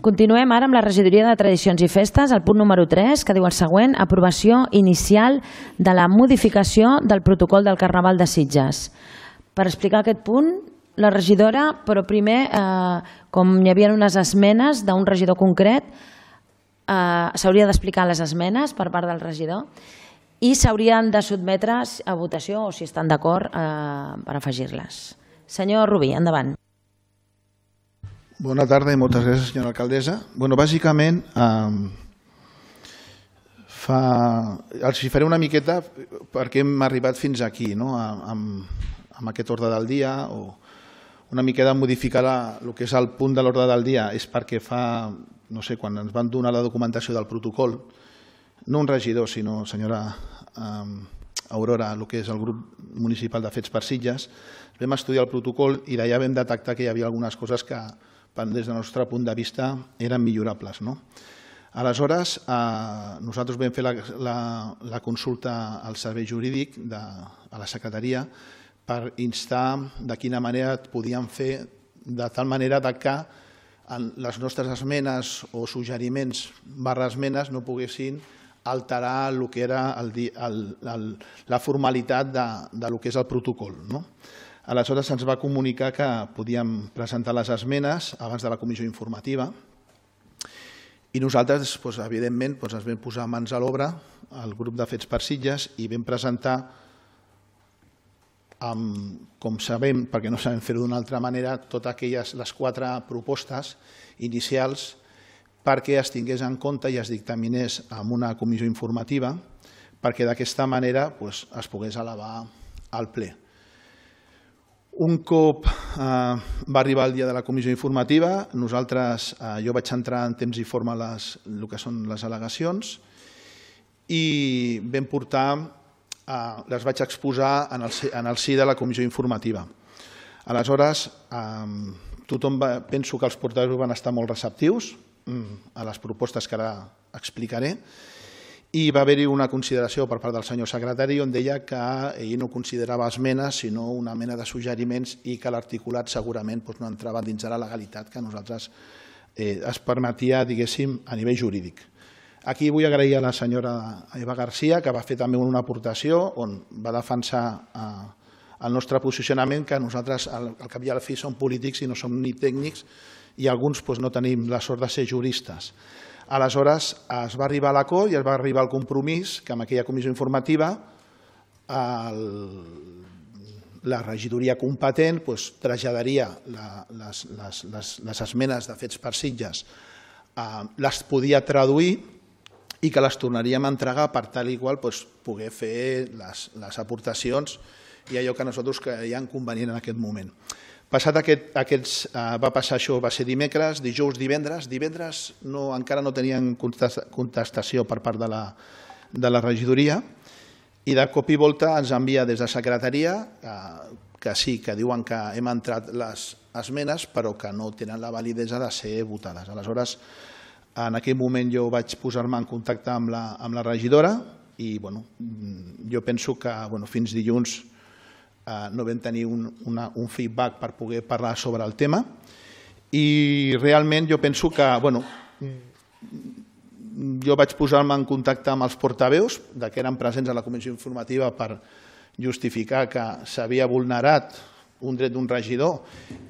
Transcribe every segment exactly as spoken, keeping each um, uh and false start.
Continuem ara amb la regidoria de Tradicions i Festes, el punt número tres, que diu el següent: aprovació inicial de la modificació del protocol del Carnaval de Sitges. Per explicar aquest punt, la regidora, però primer, com hi havia unes esmenes d'un regidor concret, s'hauria d'explicar les esmenes per part del regidor i s'haurien de sotmetre a votació, o si estan d'acord, per afegir-les. Senyor Rubí, endavant. Bona tarda i moltes gràcies, senyora alcaldessa. Bueno, bàsicament, els hi faré una miqueta perquè hem arribat fins aquí, amb aquest ordre del dia, o una miqueta modificar el que és el punt de l'ordre del dia és perquè fa, no sé, quan ens van donar la documentació del protocol, no un regidor, sinó, senyora Aurora, el que és el grup municipal de Fets per Sitges, vam estudiar el protocol i d'allà vam detectar que hi havia algunes coses que, des del nostre punt de vista, eren millorables. Aleshores, nosaltres vam fer la consulta al servei jurídic a la secretaria per instar de quina manera podíem fer de tal manera que les nostres esmenes o suggeriments barra esmenes no poguessin alterar el que era la formalitat del que és el protocol. Aleshores se'ns va comunicar que podíem presentar les esmenes abans de la comissió informativa i nosaltres, evidentment, ens vam posar mans a l'obra, el grup de Fets per Sitges, i vam presentar, com sabem, perquè no sabem fer-ho d'una altra manera, totes aquelles, les quatre propostes inicials perquè es tingués en compte i es dictaminés en una comissió informativa perquè d'aquesta manera es pogués elevar al ple. Un cop va arribar el dia de la comissió informativa, nosaltres, jo vaig entrar en temps i forma el que són les al·legacions i vam portar, les vaig exposar en el si de la comissió informativa. Aleshores, tothom, penso que els portaveus van estar molt receptius a les propostes que ara explicaré, i va haver-hi una consideració per part del senyor secretari on deia que ell no considerava esmenes sinó una mena de suggeriments i que l'articulat segurament no entrava dins de la legalitat que a nosaltres es permetia, diguéssim, a nivell jurídic. Aquí vull agrair a la senyora Eva García, que va fer també una aportació on va defensar el nostre posicionament, que nosaltres al cap i a la fi som polítics i no som ni tècnics i alguns no tenim la sort de ser juristes. Aleshores es va arribar a l'acord i es va arribar al compromís que en aquella comissió informativa la regidoria competent traslladaria les esmenes de Fets per Sitges, les podia traduir i que les tornaríem a entregar per tal i qual poder fer les aportacions i allò que nosaltres creiem convenient en aquest moment. Passat aquests, va passar això, va ser dimecres, dijous, divendres. Divendres encara no tenien contestació per part de la regidoria i de cop i volta ens envia des de secretaria que sí, que diuen que hem entrat les esmenes però que no tenen la validesa de ser votades. Aleshores, en aquell moment jo vaig posar-me en contacte amb la regidora i jo penso que fins dilluns no vam tenir un feedback per poder parlar sobre el tema i realment jo penso que jo vaig posar-me en contacte amb els portaveus que eren presents a la comissió informativa per justificar que s'havia vulnerat un dret d'un regidor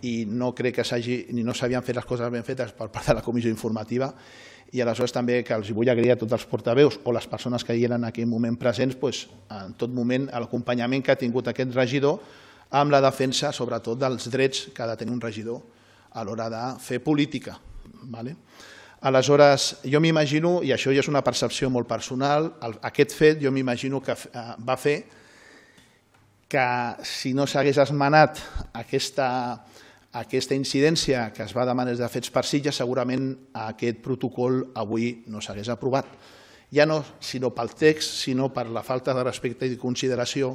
i no crec que no s'havien fet les coses ben fetes per part de la comissió informativa i aleshores també que els vull agrair a tots els portaveus o les persones que hi eren en aquell moment presents en tot moment l'acompanyament que ha tingut aquest regidor amb la defensa sobretot dels drets que ha de tenir un regidor a l'hora de fer política. Aleshores, jo m'imagino, i això ja és una percepció molt personal, aquest fet jo m'imagino que va fer que si no s'hagués esmenat aquesta aquesta incidència que es va demanar des de Fets per Sitges, segurament aquest protocol avui no s'hagués aprovat. Ja no sinó pel text, sinó per la falta de respecte i consideració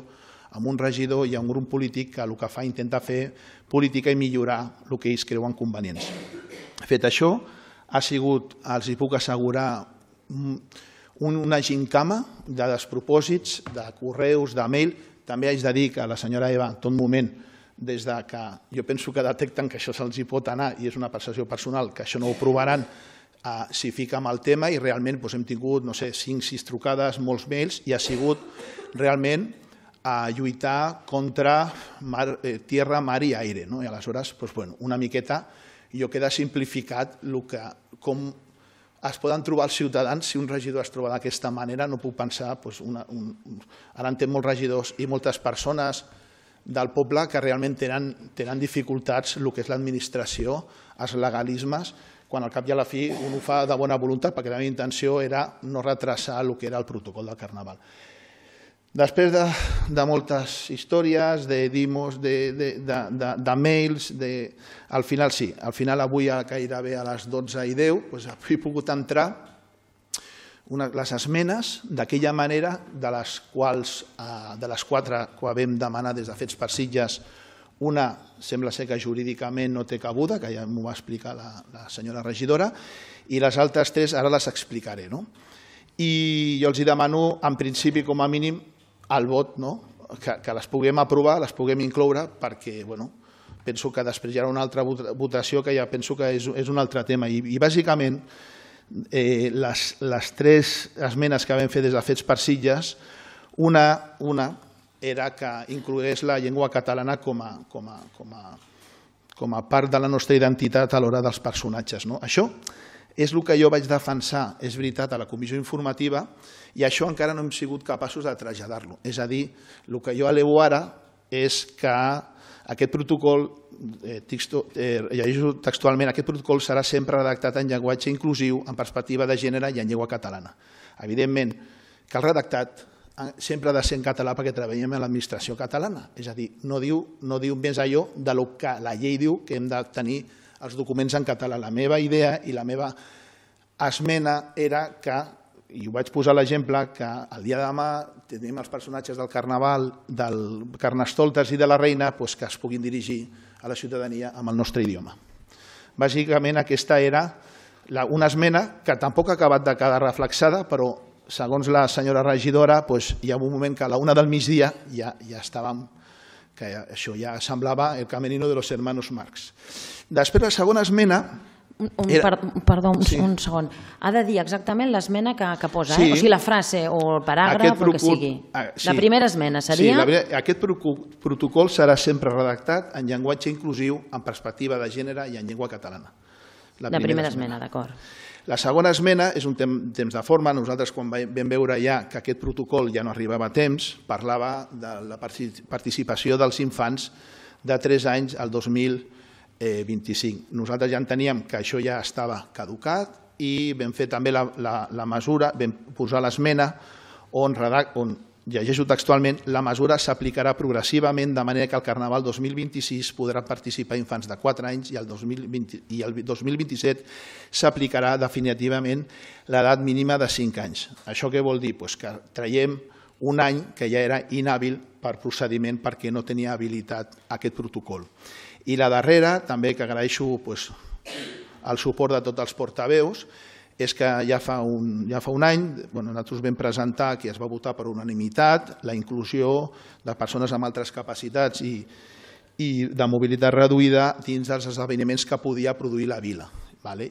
amb un regidor i a un grup polític que el que fa intenta fer política i millorar el que ells creuen convenients. Fet això, ha sigut, els hi puc assegurar, una gincama de despropòsits, de correus, de mail. També haig de dir que la senyora Eva, en tot moment, des que jo penso que detecten que això se'ls pot anar i és una percepció personal, que això no ho provaran, s'hi fica amb el tema i realment hem tingut, no sé, cinc, sis trucades, molts mails i ha sigut realment a lluitar contra tierra, mar i aire. I aleshores, una miqueta, jo queda simplificat com es poden trobar els ciutadans si un regidor es troba d'aquesta manera. No puc pensar, ara en té molts regidors i moltes persones del poble que realment tenen dificultats el que és l'administració, els legalismes, quan al cap i a la fi un ho fa de bona voluntat perquè la meva intenció era no retrasar el que era el protocol del Carnaval. Després de moltes històries, de dimos, de mails, al final sí, al final avui gairebé a les dotze i deu he pogut entrar les esmenes d'aquella manera de les quals, de les quatre que vam demanar des de Fets per Sitges, una sembla ser que jurídicament no té cabuda, que ja m'ho va explicar la senyora regidora, i les altres tres ara les explicaré. I jo els demano, en principi, com a mínim, el vot, que les puguem aprovar, les puguem incloure, perquè penso que després hi haurà una altra votació que ja penso que és un altre tema. I bàsicament, les tres esmenes que vam fer des de Fets per Sitges, una era que inclogués la llengua catalana com a part de la nostra identitat a l'hora dels personatges. Això és el que jo vaig defensar, és veritat, a la comissió informativa, i això encara no hem sigut capaços de traslladar-lo. És a dir, el que jo elevo ara és que aquest protocol, llegeixo textualment, aquest protocol serà sempre redactat en llenguatge inclusiu, en perspectiva de gènere i en llengua catalana. Evidentment que el redactat sempre ha de ser en català perquè treballem a l'administració catalana. És a dir, no diu més allò del que la llei diu que hem de tenir els documents en català. La meva idea i la meva esmena era que, i ho vaig posar l'exemple, que el dia de demà tenim els personatges del Carnaval, del Carnestoltes i de la Reina que es puguin dirigir a la ciutadania amb el nostre idioma. Bàsicament aquesta era una esmena que tampoc ha acabat de quedar reflexada, però segons la senyora regidora hi ha un moment que a la una del migdia ja estàvem, que això ja semblava el camerino de los hermanos Marx. Després la segona esmena... Perdó, un segon. Ha de dir exactament l'esmena que posa, o sigui, la frase o el paràgraf, el que sigui. La primera esmena seria... Sí, aquest protocol serà sempre redactat en llenguatge inclusiu, en perspectiva de gènere i en llengua catalana. La primera esmena, d'acord. La segona esmena és un temps de forma. Nosaltres, quan vam veure ja que aquest protocol ja no arribava a temps, parlava de la participació dels infants de tres anys al dos mil vint-i-cinc. Nosaltres ja enteníem que això ja estava caducat i vam fer també la mesura, vam posar l'esmena on, llegeixo textualment, la mesura s'aplicarà progressivament de manera que al Carnaval dos mil vint-i-sis podran participar infants de quatre anys i el dos mil vint-i-set s'aplicarà definitivament l'edat mínima de cinc anys. Això què vol dir? Que traiem un any que ja era inhàbil per procediment perquè no tenia habilitat aquest protocol. I la darrera, també que agraeixo el suport de tots els portaveus, és que ja fa un any nosaltres vam presentar, que es va votar per unanimitat, la inclusió de persones amb altres capacitats i de mobilitat reduïda dins dels esdeveniments que podia produir la vila.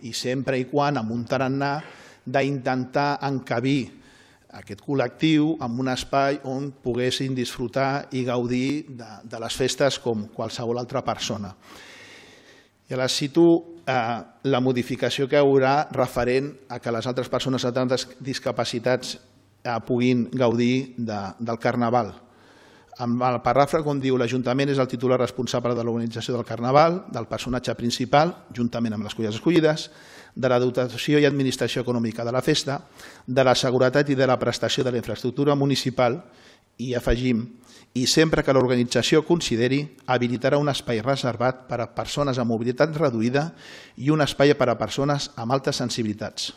I sempre i quan amb un tarannà d'intentar encabir aquest col·lectiu en un espai on poguessin disfrutar i gaudir de les festes com qualsevol altra persona. I ara cito la modificació que hi haurà referent a que les altres persones amb tantes discapacitats puguin gaudir del Carnaval. Amb el paràgraf on diu l'Ajuntament és el titular responsable de l'organització del Carnaval, del personatge principal, juntament amb les colles escollides, de la dotació i administració econòmica de la festa, de la seguretat i de la prestació de la infraestructura municipal i afegim, i sempre que l'organització consideri, habilitarà un espai reservat per a persones amb mobilitat reduïda i un espai per a persones amb altes sensibilitats.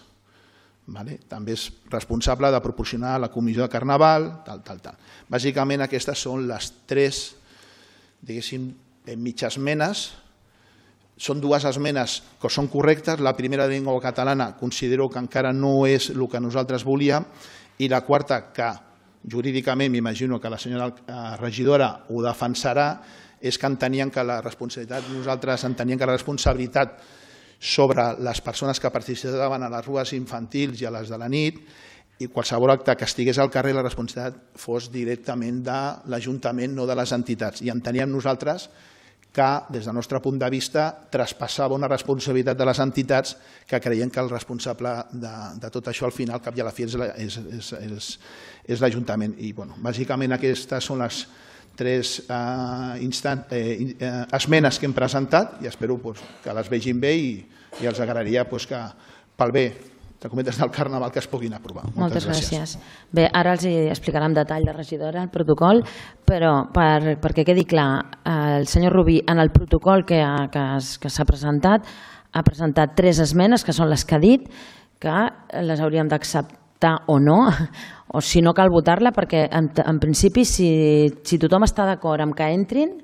També és responsable de proporcionar la comissió de Carnaval, tal, tal, tal. Bàsicament aquestes són les tres, diguéssim, mitges esmenes. Són dues esmenes que són correctes. La primera de llengua catalana considero que encara no és el que nosaltres volíem i la quarta, que jurídicament m'imagino que la senyora regidora ho defensarà, és que enteníem que la responsabilitat, nosaltres enteníem que la responsabilitat sobre les persones que participaven a les rues infantils i a les de la nit, i qualsevol acte que estigués al carrer la responsabilitat fos directament de l'Ajuntament, no de les entitats. I enteníem nosaltres que, des del nostre punt de vista, traspassava una responsabilitat de les entitats que creiem que el responsable de, de tot això, al final, al cap i a la fi, és, és, és, és, és l'Ajuntament. I, bueno, bàsicament, aquestes són les tres eh, instant, eh, eh, esmenes que hem presentat i espero pues, que les vegin bé i, i els agradaria pues, que, pel bé de cometes del Carnaval, que es puguin aprovar. Moltes, Moltes gràcies. gràcies. Bé, ara els explicarà en detall la regidora el protocol, però per, perquè quedi clar, el senyor Rubí, en el protocol que, que, que s'ha presentat, ha presentat tres esmenes, que són les que ha dit, que les hauríem d'acceptar o no, o si no cal votar-la, perquè en, en principi, si, si tothom està d'acord amb que entrin,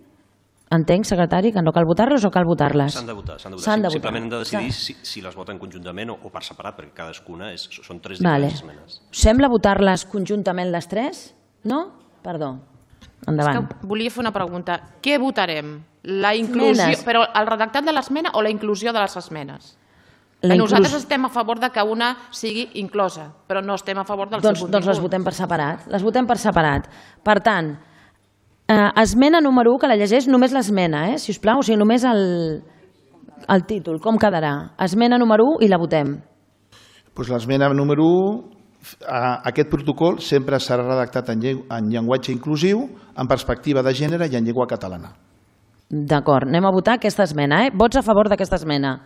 entenc, secretari, que no cal votar-les o cal votar-les? S'han de votar. S'han de votar. votar. Simplement hem de decidir si, si les voten conjuntament o, o per separat, perquè cadascuna és, són tres diferents vale. esmenes. Sembla votar-les conjuntament les tres? No? Perdó. Endavant. És que volia fer una pregunta. Què votarem? La inclusió, esmenes. Però el redactat de l'esmena o la inclusió de les esmenes? La inclus... Nosaltres estem a favor de que una sigui inclosa, però no estem a favor del doncs, seu contingut. Doncs les votem per separat. Les votem per separat. Per tant, Uh, esmena número u, que la llegeix només l'esmena, eh? Si us plau, o sigui, només el, el títol, com quedarà? Esmena número u i la votem. Pues l'esmena número u, aquest protocol sempre serà redactat en, en llenguatge inclusiu, en perspectiva de gènere i en llengua catalana. D'acord, anem a votar aquesta esmena. Eh? Vots a favor d'aquesta esmena?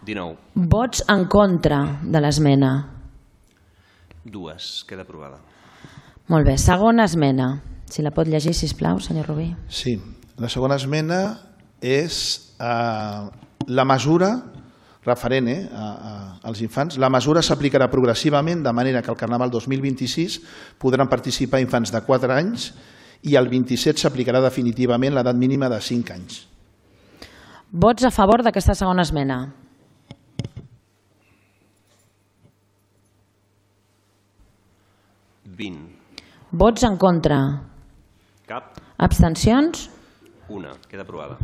dinou. Vots en contra de l'esmena? Dues. Queda aprovada. Molt bé. Segona esmena. Si la pot llegir, sisplau, senyor Rubí. Sí. La segona esmena és eh, la mesura referent eh, a, a, als infants. La mesura s'aplicarà progressivament de manera que al Carnaval dos mil vint-i-sis podran participar infants de quatre anys i el vint-i-set s'aplicarà definitivament l'edat mínima de cinc anys. Vots a favor d'aquesta segona esmena? vint. Vots en contra? Cap. Abstencions? Una. Queda aprovada.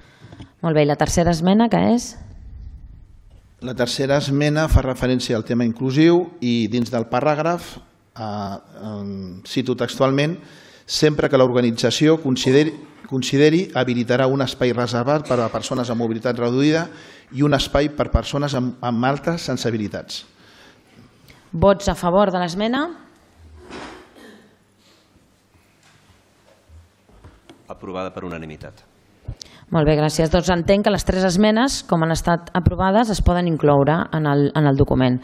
Molt bé, i la tercera esmena, què és? La tercera esmena fa referència al tema inclusiu i dins del paràgraf, eh, eh, cito textualment, sempre que l'organització consideri, consideri habilitarà un espai reservat per a persones amb mobilitat reduïda i un espai per a persones amb, amb altres sensibilitats. Vots a favor de l'esmena? Aprovada per unanimitat. Molt bé, gràcies. Doncs entenc que les tres esmenes, com han estat aprovades, es poden incloure en el, en el document.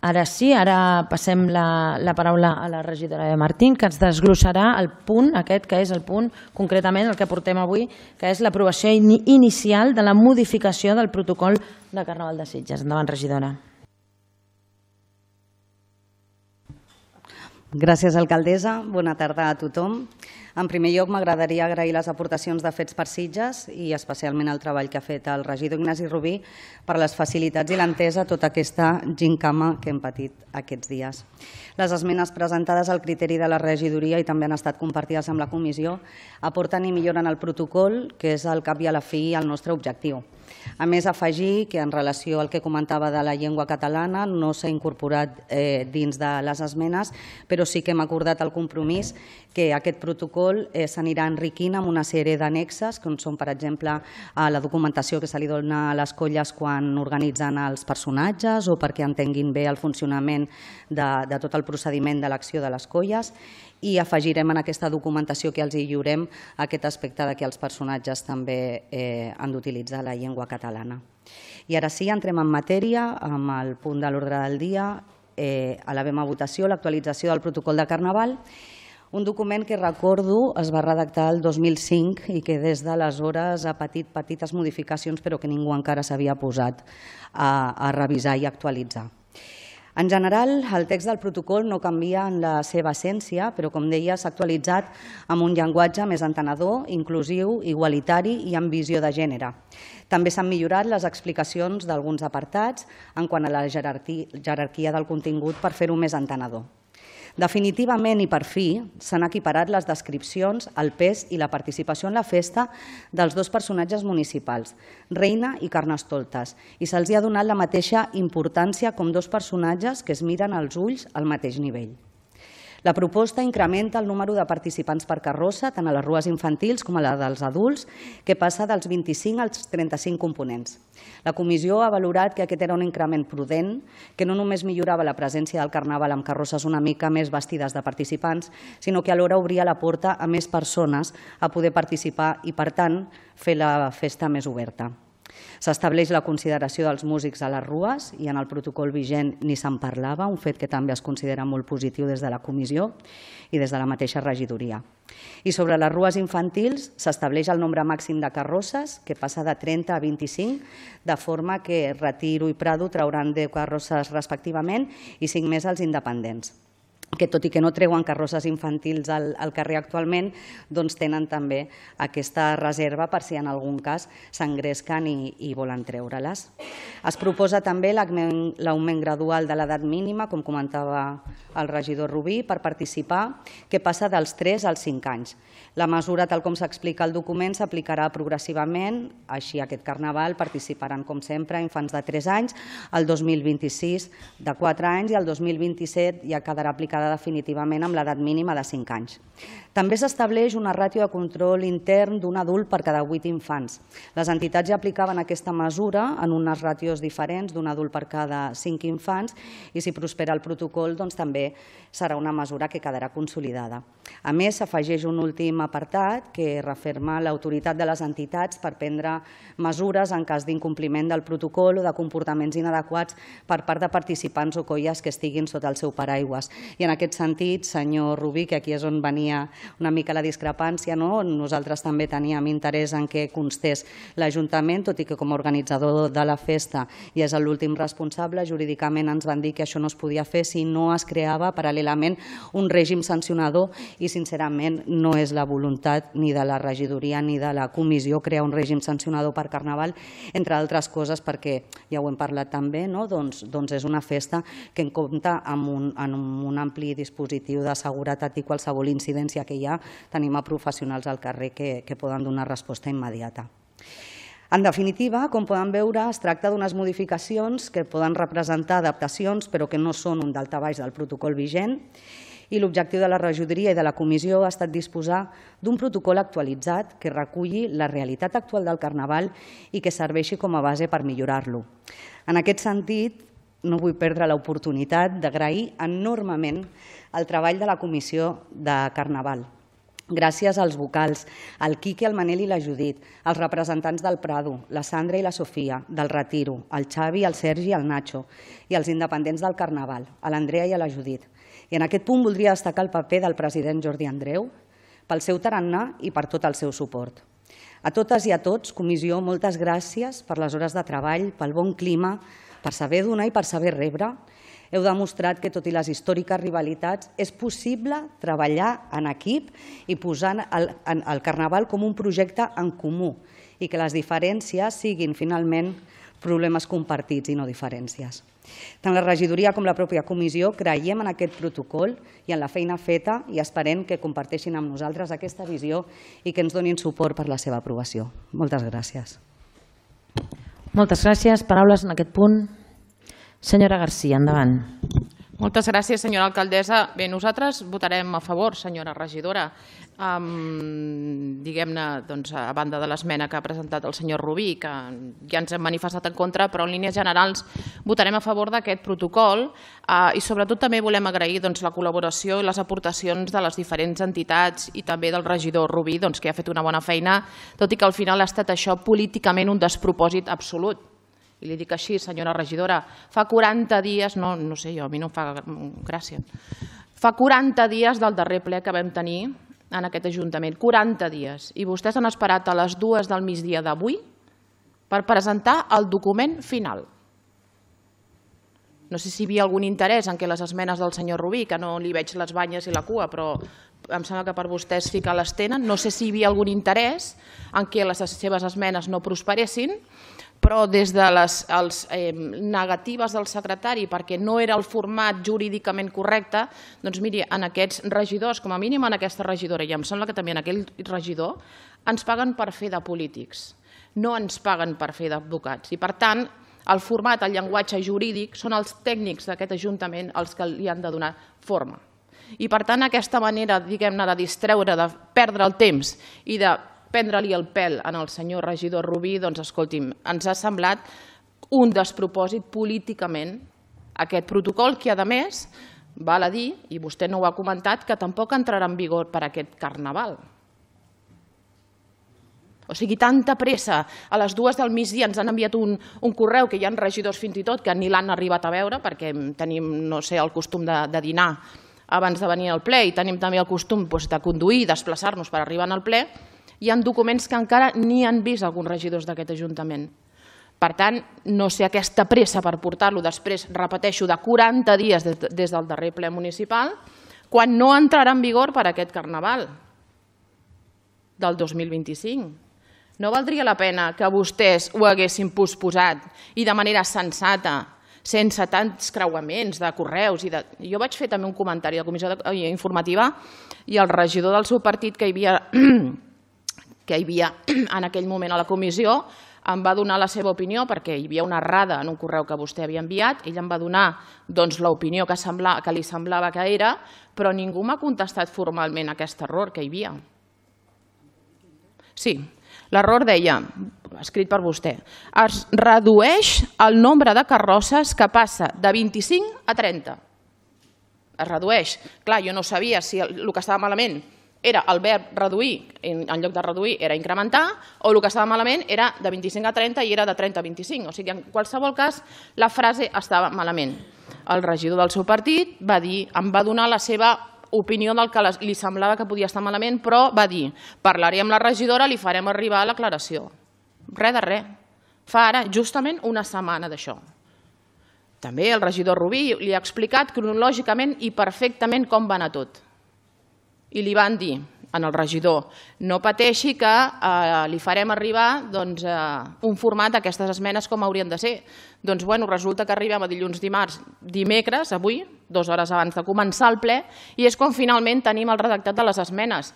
Ara sí, ara passem la, la paraula a la regidora de Martín, que ens desglossarà el punt, aquest que és el punt, concretament el que portem avui, que és l'aprovació in inicial de la modificació del protocol de Carnaval de Sitges. Endavant, regidora. Gràcies, alcaldessa. Bona tarda a tothom. En primer lloc, m'agradaria agrair les aportacions de Fets per Sitges i especialment el treball que ha fet el regidor Ignasi Rubí per les facilitats i l'entesa a tota aquesta gincama que hem patit aquests dies. Les esmenes presentades al criteri de la regidoria i també han estat compartides amb la comissió aporten i milloren el protocol, que és al cap i a la fi el nostre objectiu. A més, afegir que en relació al que comentava de la llengua catalana no s'ha incorporat eh, dins de les esmenes, però sí que hem acordat el compromís que aquest protocol eh, s'anirà enriquint amb una sèrie d'annexes, com són, per exemple, a la documentació que se li dona a les colles quan organitzen els personatges o perquè entenguin bé el funcionament de, de tot el procediment d'elecció de les colles, i afegirem en aquesta documentació que els hi lliurem aquest aspecte de que els personatges també eh, han d'utilitzar la llengua catalana. I ara sí, entrem en matèria amb el punt de l'ordre del dia. Eh, elevem a votació l'actualització del protocol de Carnaval, un document que, recordo, es va redactar el dos mil cinc i que des d'aleshores ha patit petites modificacions però que ningú encara s'havia posat a, a revisar i actualitzar. En general, el text del protocol no canvia en la seva essència, però, com deia, s'ha actualitzat amb un llenguatge més entenedor, inclusiu, igualitari i amb visió de gènere. També s'han millorat les explicacions d'alguns apartats en quant a la jerarquia del contingut per fer-ho més entenedor. Definitivament i per fi s'han equiparat les descripcions, el pes i la participació en la festa dels dos personatges municipals, Reina i Carnestoltes, i se'ls ha donat la mateixa importància com dos personatges que es miren als ulls al mateix nivell. La proposta incrementa el número de participants per carrossa, tant a les rues infantils com a la dels adults, que passa dels vint-i-cinc als trenta-cinc components. La comissió ha valorat que aquest era un increment prudent, que no només millorava la presència del Carnaval amb carrosses una mica més vestides de participants, sinó que alhora obria la porta a més persones a poder participar i, per tant, fer la festa més oberta. S'estableix la consideració dels músics a les rues i en el protocol vigent ni se'n parlava, un fet que també es considera molt positiu des de la comissió i des de la mateixa regidoria. I sobre les rues infantils s'estableix el nombre màxim de carrosses, que passa de trenta a vint-i-cinc, de forma que Retiro i Prado trauran deu carrosses respectivament i cinc més als independents, que tot i que no treuen carrosses infantils al, al carrer actualment, doncs tenen també aquesta reserva per si en algun cas s'engresquen i, i volen treure-les. Es proposa també l'augment gradual de l'edat mínima, com comentava el regidor Rubí, per participar, que passa dels tres als cinc anys. La mesura, tal com s'explica al document, s'aplicarà progressivament, així aquest Carnaval participaran, com sempre, infants de tres anys, el dos mil vint-i-sis de quatre anys i el dos mil vint-i-set ja quedarà aplicada definitivament amb l'edat mínima de cinc anys. També s'estableix una ràtio de control intern d'un adult per cada vuit infants. Les entitats ja aplicaven aquesta mesura en unes ràtios diferents d'un adult per cada cinc infants i si prospera el protocol doncs també serà una mesura que quedarà consolidada. A més, s'afegeix un últim apartat que referma l'autoritat de les entitats per prendre mesures en cas d'incompliment del protocol o de comportaments inadequats per part de participants o colles que estiguin sota el seu paraigües. I en aquest sentit, senyor Rubí, que aquí és on venia una mica la discrepància, nosaltres també teníem interès en què constés l'Ajuntament, tot i que com a organitzador de la festa i és l'últim responsable, jurídicament ens van dir que això no es podia fer si no es creava paral·lelament un règim sancionador i sincerament no és la voluntat ni de la regidoria ni de la comissió crear un règim sancionador per Carnaval, entre altres coses perquè, ja ho hem parlat també, doncs és una festa que en compta amb un ampli dispositiu de seguretat i qualsevol incidència que hi ha, tenim a professionals al carrer que poden donar resposta immediata. En definitiva, com poden veure, es tracta d'unes modificacions que poden representar adaptacions però que no són un daltabaix del protocol vigent i l'objectiu de la regidoria i de la comissió ha estat disposar d'un protocol actualitzat que reculli la realitat actual del Carnaval i que serveixi com a base per millorar-lo. En aquest sentit, no vull perdre l'oportunitat d'agrair enormement el treball de la Comissió de Carnaval. Gràcies als vocals, al Quique, el Manel i la Judit, als representants del Prado, la Sandra i la Sofia, del Retiro, el Xavi, el Sergi i el Nacho, i els independents del Carnaval, a l'Andrea i a la Judit. I en aquest punt voldria destacar el paper del president Jordi Andreu pel seu tarannà i per tot el seu suport. A totes i a tots, comissió, moltes gràcies per les hores de treball, pel bon clima, per saber donar i per saber rebre. Heu demostrat que, tot i les històriques rivalitats, és possible treballar en equip i posar el Carnaval com un projecte en comú i que les diferències siguin, finalment, problemes compartits i no diferències. Tant la regidoria com la pròpia comissió creiem en aquest protocol i en la feina feta i esperem que comparteixin amb nosaltres aquesta visió i que ens donin suport per la seva aprovació. Moltes gràcies. Moltes gràcies. Paraules en aquest punt. Senyora Garcia, endavant. Moltes gràcies, senyora alcaldessa. Bé, nosaltres votarem a favor, senyora regidora, diguem-ne, a banda de l'esmena que ha presentat el senyor Rubí, que ja ens hem manifestat en contra, però en línies generals votarem a favor d'aquest protocol i sobretot també volem agrair la col·laboració i les aportacions de les diferents entitats i també del regidor Rubí, que ha fet una bona feina, tot i que al final ha estat això políticament un despropòsit absolut. I li dic així, senyora regidora, fa quaranta dies, no sé jo, a mi no em fa gràcia, fa quaranta dies del darrer ple que vam tenir en aquest Ajuntament, quaranta dies, i vostès han esperat a les dues del migdia d'avui per presentar el document final. No sé si hi havia algun interès en què les esmenes del senyor Rubí, que no li veig les banyes i la cua, però em sembla que per vostès sí que les tenen, no sé si hi havia algun interès en què les seves esmenes no prosperessin, però des de les negatives del secretari perquè no era el format jurídicament correcte, doncs miri, en aquests regidors, com a mínim en aquesta regidora, i em sembla que també en aquell regidor, ens paguen per fer de polítics, no ens paguen per fer d'advocats. I per tant, el format, el llenguatge jurídic, són els tècnics d'aquest Ajuntament els que li han de donar forma. I per tant, aquesta manera, diguem-ne, de distreure, de perdre el temps i de prendre-li el pèl al senyor regidor Rubí, doncs, escolti'm, ens ha semblat un despropòsit políticament aquest protocol que, a més, val a dir, i vostè no ho ha comentat, que tampoc entrarà en vigor per aquest Carnaval. O sigui, tanta pressa, a les dues del migdia ens han enviat un correu que hi ha regidors fins i tot que ni l'han arribat a veure perquè tenim, no sé, el costum de dinar abans de venir al ple i tenim també el costum de conduir i desplaçar-nos per arribar al ple. Hi ha documents que encara ni han vist alguns regidors d'aquest Ajuntament. Per tant, no sé aquesta pressa per portar-lo després, repeteixo, de quaranta dies des del darrer ple municipal, quan no entrarà en vigor per aquest Carnaval del dos mil vint-i-cinc. No valdria la pena que vostès ho haguessin posposat i de manera sensata, sense tants creuaments de correus. Jo vaig fer també un comentari a la comissió informativa i el regidor del seu partit que hi havia que hi havia en aquell moment a la comissió, em va donar la seva opinió perquè hi havia una errada en un correu que vostè havia enviat, ell em va donar l'opinió que li semblava que era, però ningú m'ha contestat formalment aquest error que hi havia. Sí, l'error deia, escrit per vostè, es redueix el nombre de carrosses que passa de vint-i-cinc a trenta. Es redueix. Clar, jo no sabia si el que estava malament era el verb reduir, en lloc de reduir era incrementar, o el que estava malament era de vint-i-cinc a trenta i era de trenta a vint-i-cinc. O sigui, en qualsevol cas, la frase estava malament. El regidor del seu partit va dir, em va donar la seva opinió del que li semblava que podia estar malament, però va dir, parlaré amb la regidora, li farem arribar l'aclaració. Res de res. Fa ara justament una setmana d'això. També el regidor Rubí li ha explicat cronològicament i perfectament com va anar tot. I li van dir al regidor, no pateixi que li farem arribar un format d'aquestes esmenes com haurien de ser. Doncs resulta que arribem a dilluns, dimarts, dimecres, avui, dues hores abans de començar el ple, i és quan finalment tenim el redactat de les esmenes.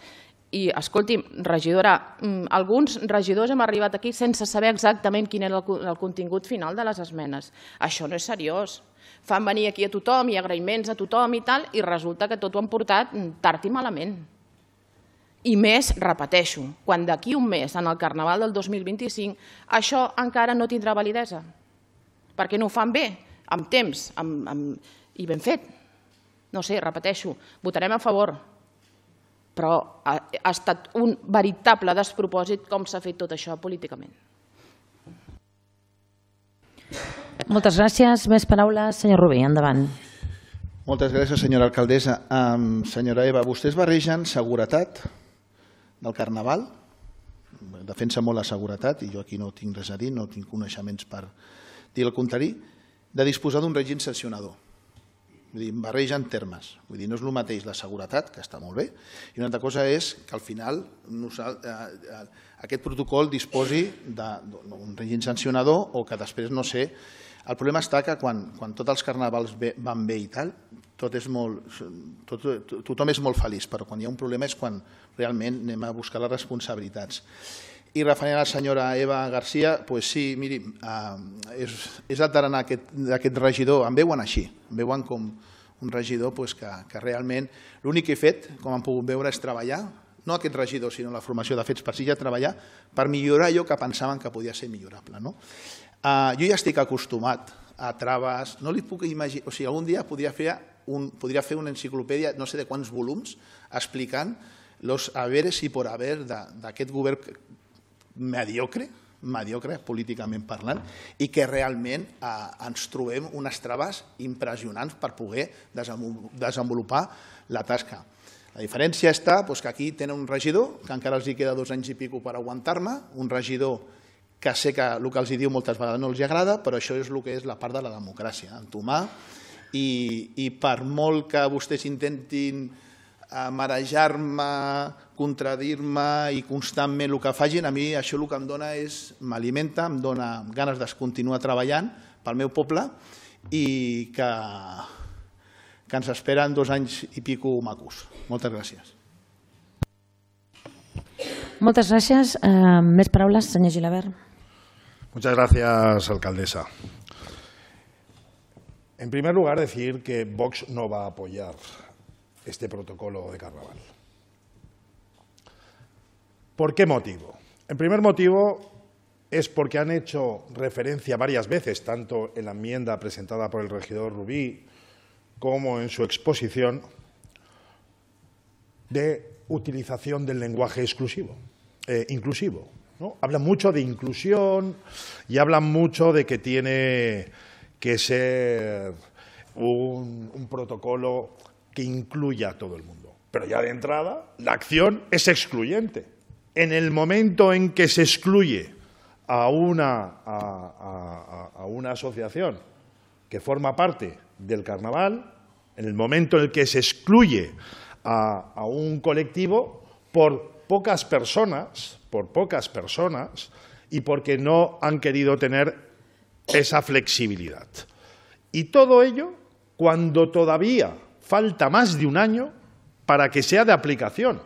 I, escolti'm, regidora, alguns regidors hem arribat aquí sense saber exactament quin era el contingut final de les esmenes. Això no és seriós. Fan venir aquí a tothom i agraïments a tothom i tal, i resulta que tot ho han portat tard i malament. I més, repeteixo, quan d'aquí un mes, en el Carnaval del dos mil vint-i-cinc, això encara no tindrà validesa. Perquè no ho fan bé, amb temps i ben fet. No sé, repeteixo, votarem a favor, però ha estat un veritable despropòsit com s'ha fet tot això políticament. Moltes gràcies. Més paraules, senyor Rubí, endavant. Moltes gràcies, senyora alcaldessa. Senyora Eva, vostès barregen seguretat del Carnaval, defensa molt la seguretat, i jo aquí no tinc res a dir, no tinc coneixements per dir el contrari, de disposar d'un règim sancionador. Vull dir, barregen termes. Vull dir, no és el mateix la seguretat, que està molt bé, i una altra cosa és que al final aquest protocol disposi d'un règim sancionador o que després no sé. El problema està que quan tots els carnavals van bé i tal, tothom és molt feliç, però quan hi ha un problema és quan realment anem a buscar les responsabilitats. I referent a la senyora Eva García, doncs sí, miri, és el tarannà d'aquest regidor, em veuen així, em veuen com un regidor que realment l'únic que he fet, com han pogut veure, és treballar, no aquest regidor, sinó la formació de Fets per Sitges, treballar per millorar allò que pensaven que podia ser millorable. Jo ja estic acostumat a traves, no li puc imaginar, o sigui, algun dia podria fer una enciclopèdia, no sé de quants volums, explicant los haberes i por haber d'aquest govern mediocre, mediocre políticament parlant, i que realment ens trobem unes traves impressionants per poder desenvolupar la tasca. La diferència està que aquí tenen un regidor, que encara els queda dos anys i pico per aguantar-me, un regidor que sé que el que els diu moltes vegades no els agrada, però això és el que és la part de la democràcia, entomar, i per molt que vostès intentin marejar-me contradir-me i constantment el que facin, a mi això el que em dona és, m'alimenta, em dona ganes de continuar treballant pel meu poble i que, que ens esperen dos anys i pico macos. Moltes gràcies. Moltes gràcies. Eh, més paraules, senyor Gilabert. Muchas gracias, alcaldesa. En primer lugar, decir que Vox no va a apoyar este protocolo de carnaval. ¿Por qué motivo? En primer motivo es porque han hecho referencia varias veces, tanto en la enmienda presentada por el regidor Rubí como en su exposición, de utilización del lenguaje exclusivo, eh, inclusivo, ¿no? Hablan mucho de inclusión y hablan mucho de que tiene que ser un, un protocolo que incluya a todo el mundo. Pero ya de entrada, la acción es excluyente. En el momento en que se excluye a una, a, a, a una asociación que forma parte del carnaval, en el momento en el que se excluye a, a un colectivo por pocas personas, por pocas personas, y porque no han querido tener esa flexibilidad. Y todo ello cuando todavía falta más de un año para que sea de aplicación.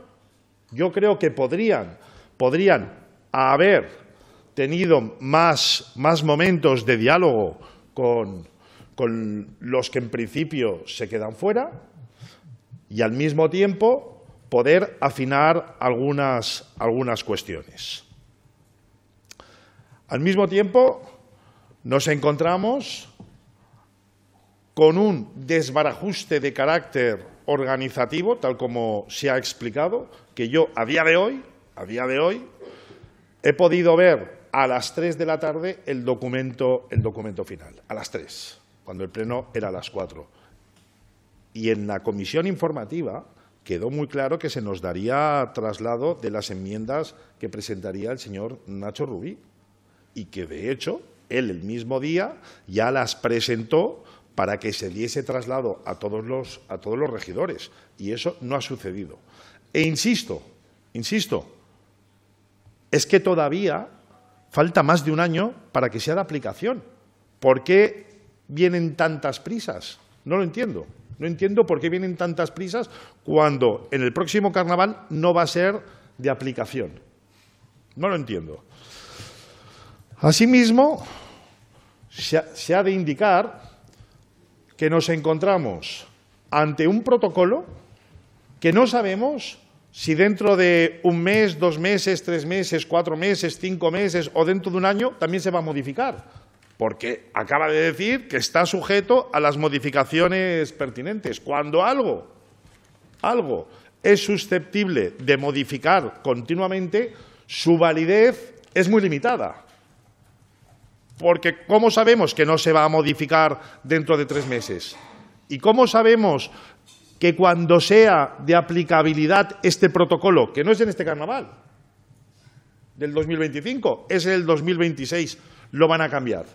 Yo creo que podrían, podrían haber tenido más, más momentos de diálogo con, con los que en principio se quedan fuera y al mismo tiempo poder afinar algunas, algunas cuestiones. Al mismo tiempo nos encontramos con un desbarajuste de carácter organizativo, tal como se ha explicado, que yo a día de hoy, a día de hoy, he podido ver a las tres de la tarde el documento, el documento final, a las tres, cuando el pleno era a las cuatro. Y en la comisión informativa quedó muy claro que se nos daría traslado de las enmiendas que presentaría el señor Nacho Rubí y que, de hecho, él el mismo día ya las presentó para que se diese traslado a todos los, a todos los regidores. Y eso no ha sucedido. E insisto, insisto, es que todavía falta más de un año para que sea de aplicación. ¿Por qué vienen tantas prisas? No lo entiendo. No entiendo por qué vienen tantas prisas cuando en el próximo carnaval no va a ser de aplicación. No lo entiendo. Asimismo, se ha, se ha de indicar que nos encontramos ante un protocolo que no sabemos si dentro de un mes, dos meses, tres meses, cuatro meses, cinco meses o dentro de un año también se va a modificar, porque acaba de decir que está sujeto a las modificaciones pertinentes. Cuando algo, algo es susceptible de modificar continuamente, su validez es muy limitada. Porque ¿cómo sabemos que no se va a modificar dentro de tres meses? ¿Y cómo sabemos que cuando sea de aplicabilidad este protocolo, que no es en este carnaval del dos mil veinticinco, es el dos mil veintiséis, lo van a cambiar?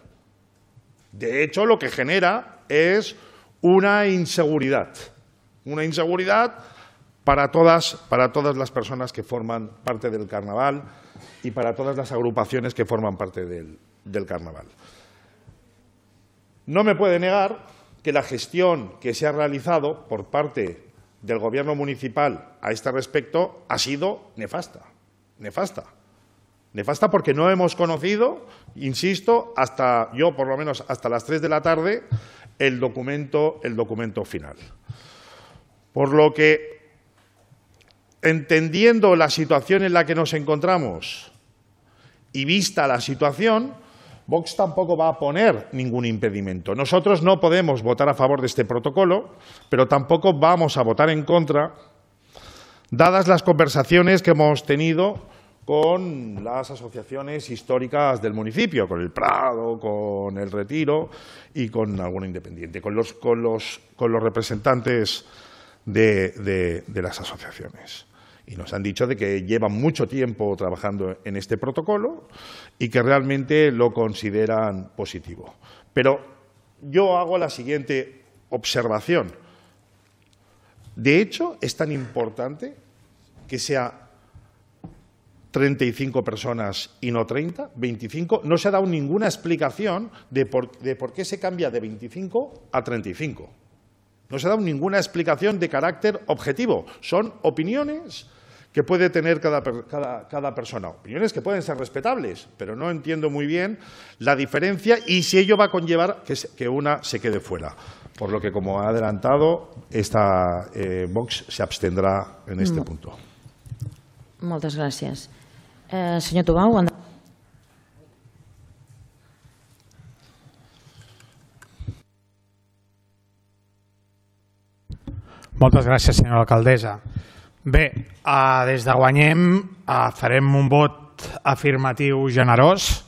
De hecho, lo que genera es una inseguridad, una inseguridad para todas, para todas las personas que forman parte del carnaval y para todas las agrupaciones que forman parte del del carnaval. No me puede negar que la gestión que se ha realizado por parte del Gobierno municipal a este respecto ha sido nefasta, nefasta. Nefasta porque no hemos conocido, insisto, hasta yo por lo menos hasta las tres de la tarde, el documento, el documento final. Por lo que, entendiendo la situación en la que nos encontramos y vista la situación, Vox tampoco va a poner ningún impedimento. Nosotros no podemos votar a favor de este protocolo, pero tampoco vamos a votar en contra, dadas las conversaciones que hemos tenido con las asociaciones históricas del municipio, con el Prado, con el Retiro y con alguna independiente, con los, con los, con los representantes de, de, de las asociaciones. Y nos han dicho de que llevan mucho tiempo trabajando en este protocolo y que realmente lo consideran positivo. Pero yo hago la siguiente observación. De hecho, es tan importante que sea treinta y cinco personas y no treinta, veinticinco. No se ha dado ninguna explicación de por, de por qué se cambia de veinticinco a treinta y cinco. No se ha dado ninguna explicación de carácter objetivo. Son opiniones que puede tener cada, cada, cada persona. Opiniones que pueden ser respetables, pero no entiendo muy bien la diferencia y si ello va a conllevar que, que una se quede fuera. Por lo que, como ha adelantado, esta eh, Vox se abstendrá en este Mo- punto. Moltes gràcies. Eh, senyor Tubau, endavant. Moltes gràcies, senyora alcaldessa. Bé, eh, des de Guanyem eh, farem un vot afirmatiu generós,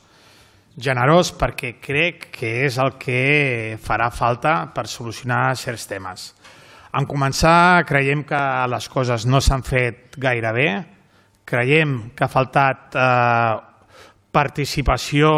generós perquè crec que és el que farà falta per solucionar certs temes. En començar, creiem que les coses no s'han fet gaire bé, creiem que ha faltat eh, participació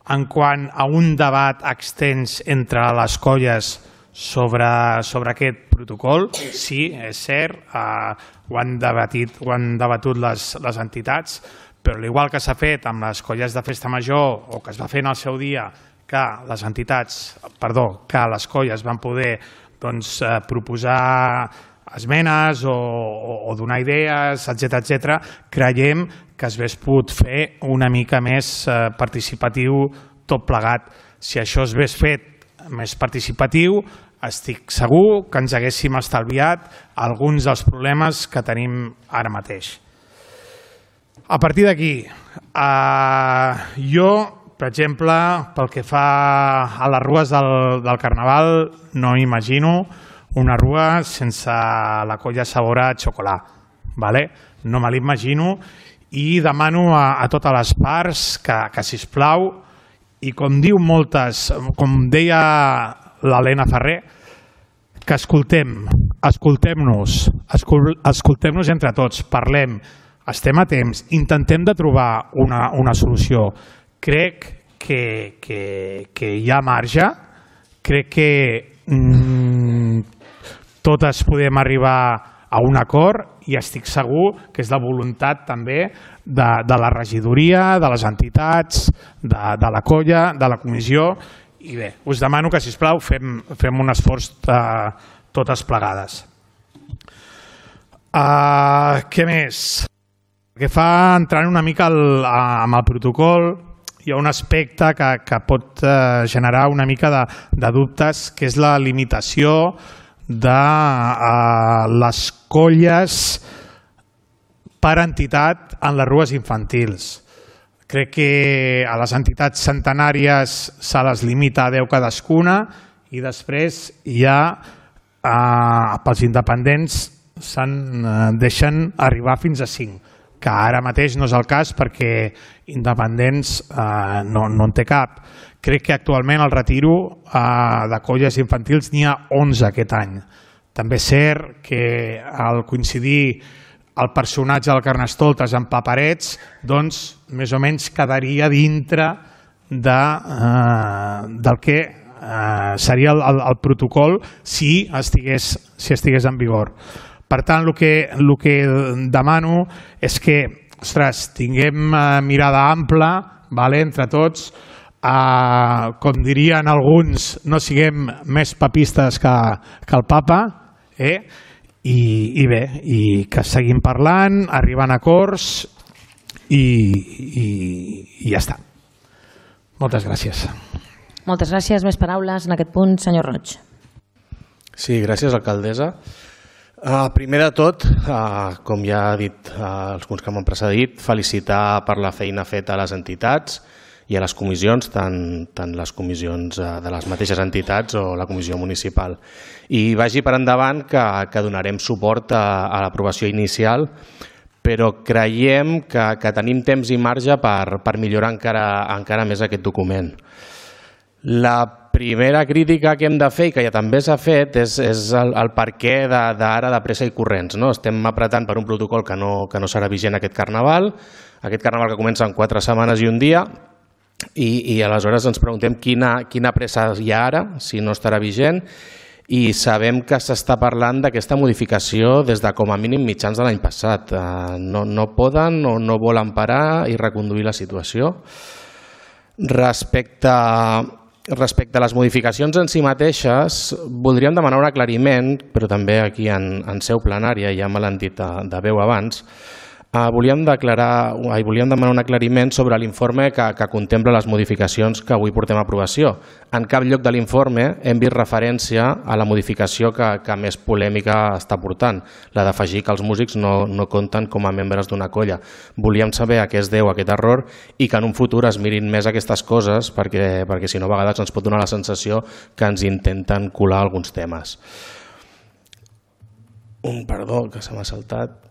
en quant a un debat extens entre les colles sobre, sobre aquest protocol. Sí, és cert, eh, ho han debatit, ho han debatut les, les entitats, però igual que s'ha fet amb les colles de festa major o que es va fer en el seu dia, que les entitats, perdó, que les colles van poder doncs, eh, proposar esmenes o, o, o donar idees, etcètera, etcètera, creiem que es hagués pogut fer una mica més eh, participatiu tot plegat. Si això es hagués fet més participatiu, estic segur que ens haguéssim estalviat alguns dels problemes que tenim ara mateix. A partir d'aquí, eh, jo, per exemple, pel que fa a les rues del, del Carnaval, no m'imagino una rua sense la colla Sabora Xocolà. ¿vale? No me l'imagino i demano a, a totes les parts que, que sisplau, i com diu moltes, com deia l'Helena Ferrer, que escoltem, escoltem-nos, escoltem-nos entre tots, parlem, estem a temps, intentem de trobar una, una solució. Crec que, que, que hi ha marge, crec que mm, totes podem arribar a un acord i estic segur que és la voluntat també de, de la regidoria, de les entitats, de, de la colla, de la comissió. I bé, us demano que, sisplau, fem, fem un esforç de, totes plegades. Uh, què més? Que fa entrar una mica el, amb el protocol, hi ha un aspecte que, que pot uh, generar una mica de, de dubtes, que és la limitació de uh, les colles per entitat en les rues infantils. Crec que a les entitats centenàries se les limita a deu cadascuna i després hi ha, eh, pels independents, se'n eh, deixen arribar fins a cinc, que ara mateix no és el cas perquè independents eh, no, no en té cap. Crec que actualment el retiro eh, de colles infantils n'hi ha onze aquest any. També és cert que al coincidir el personatge del Carnestoltes amb paperets, doncs més o menys quedaria dintre de, eh, del que eh, seria el, el, el protocol si estigués, si estigués en vigor. Per tant, el que, el que demano és que, ostres, tinguem eh, mirada ampla, vale, entre tots, eh, com dirien alguns, no siguem més papistes que, que el papa, eh? I, i bé, i que seguim parlant, arribant a acords i, i, i ja està. Moltes gràcies. Moltes gràcies. Més paraules en aquest punt, senyor Roig. Sí, gràcies, alcaldessa. Uh, primer de tot, uh, com ja ha dit uh, els que m'han precedit, felicitar per la feina feta a les entitats i a les comissions, tant, tant les comissions de les mateixes entitats o la comissió municipal. I vagi per endavant que, que donarem suport a, a l'aprovació inicial, però creiem que, que tenim temps i marge per, per millorar encara, encara més aquest document. La primera crítica que hem de fer, i que ja també s'ha fet, és, és el, el per què d'ara de pressa i corrents. No? Estem apretant per un protocol que no, que no serà vigent aquest Carnaval, aquest Carnaval que comença en quatre setmanes i un dia, I, i aleshores ens preguntem quina, quina pressa hi ha ara, si no estarà vigent, i sabem que s'està parlant d'aquesta modificació des de com a mínim mitjans de l'any passat. No, no poden o no volen parar i reconduir la situació. Respecte, respecte a les modificacions en si mateixes, voldríem demanar un aclariment, però també aquí en, en seu plenària, ja me l'han dit de, de veu abans. Uh, volíem, declarar, uh, volíem demanar un aclariment sobre l'informe que, que contempla les modificacions que avui portem a aprovació. En cap lloc de l'informe hem vist referència a la modificació que, que més polèmica està portant, la d'afegir que els músics no, no compten com a membres d'una colla. Volíem saber a què es deu aquest error i que en un futur es mirin més aquestes coses perquè, perquè si no a vegades ens pot donar la sensació que ens intenten colar alguns temes. Un perdó, que se m'ha saltat.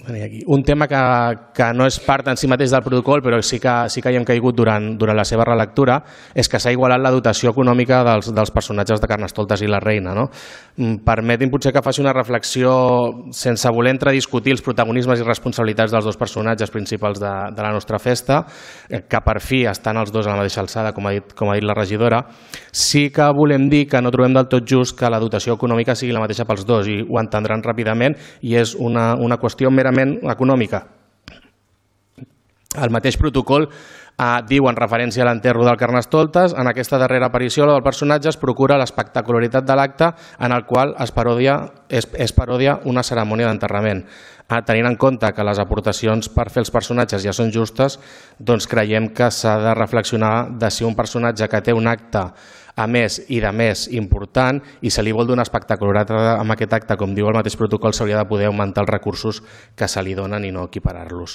Aquí. Un tema que, que no és part en si mateix del protocol, però sí que, sí que hi hem caigut durant, durant la seva relectura, és que s'ha igualat la dotació econòmica dels, dels personatges de Carnestoltes i la Reina. No? Permetin potser que faci una reflexió sense voler entrediscutir els protagonismes i responsabilitats dels dos personatges principals de, de la nostra festa, que per fi estan els dos a la mateixa alçada, com ha dit, com ha dit la regidora. Sí que volem dir que no trobem del tot just que la dotació econòmica sigui la mateixa pels dos, i ho entendran ràpidament, i és una, una qüestió merament econòmica. El mateix protocol eh, diu en referència a l'enterro del Carnestoltes, en aquesta darrera aparició la del personatge es procura l'espectacularitat de l'acte en el qual es parodia, es, es parodia una cerimònia d'enterrament. Eh, tenint en compte que les aportacions per fer els personatges ja són justes, doncs creiem que s'ha de reflexionar de si un personatge que té un acte a més i de més important i se li vol donar espectacularitat amb aquest acte, com diu el mateix protocol, s'hauria de poder augmentar els recursos que se li donen i no equiparar-los.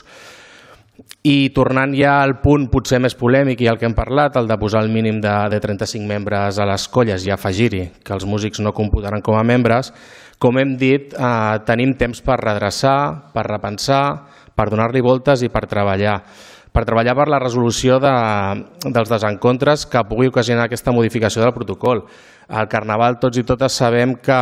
I tornant ja al punt potser més polèmic i al que hem parlat, el de posar el mínim de, de trenta-cinc membres a les colles i afegir-hi que els músics no computaran com a membres, com hem dit, eh, tenim temps per redreçar, per repensar, per donar-li voltes i per treballar. per treballar per la resolució de, dels desencontres que pugui ocasionar aquesta modificació del protocol. El Carnaval, tots i totes sabem que,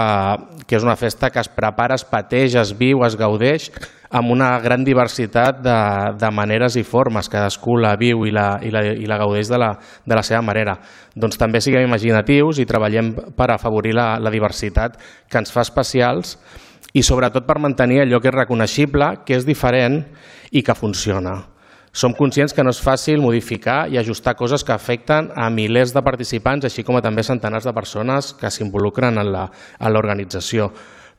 que és una festa que es prepara, es pateix, es viu, es gaudeix amb una gran diversitat de, de maneres i formes. Cadascú la viu i la, i la, i la gaudeix de la, de la seva manera. Doncs també siguem imaginatius i treballem per afavorir la, la diversitat que ens fa especials i sobretot per mantenir allò que és reconeixible, que és diferent i que funciona. Som conscients que no és fàcil modificar i ajustar coses que afecten a milers de participants, així com a també centenars de persones que s'involucren en l'organització.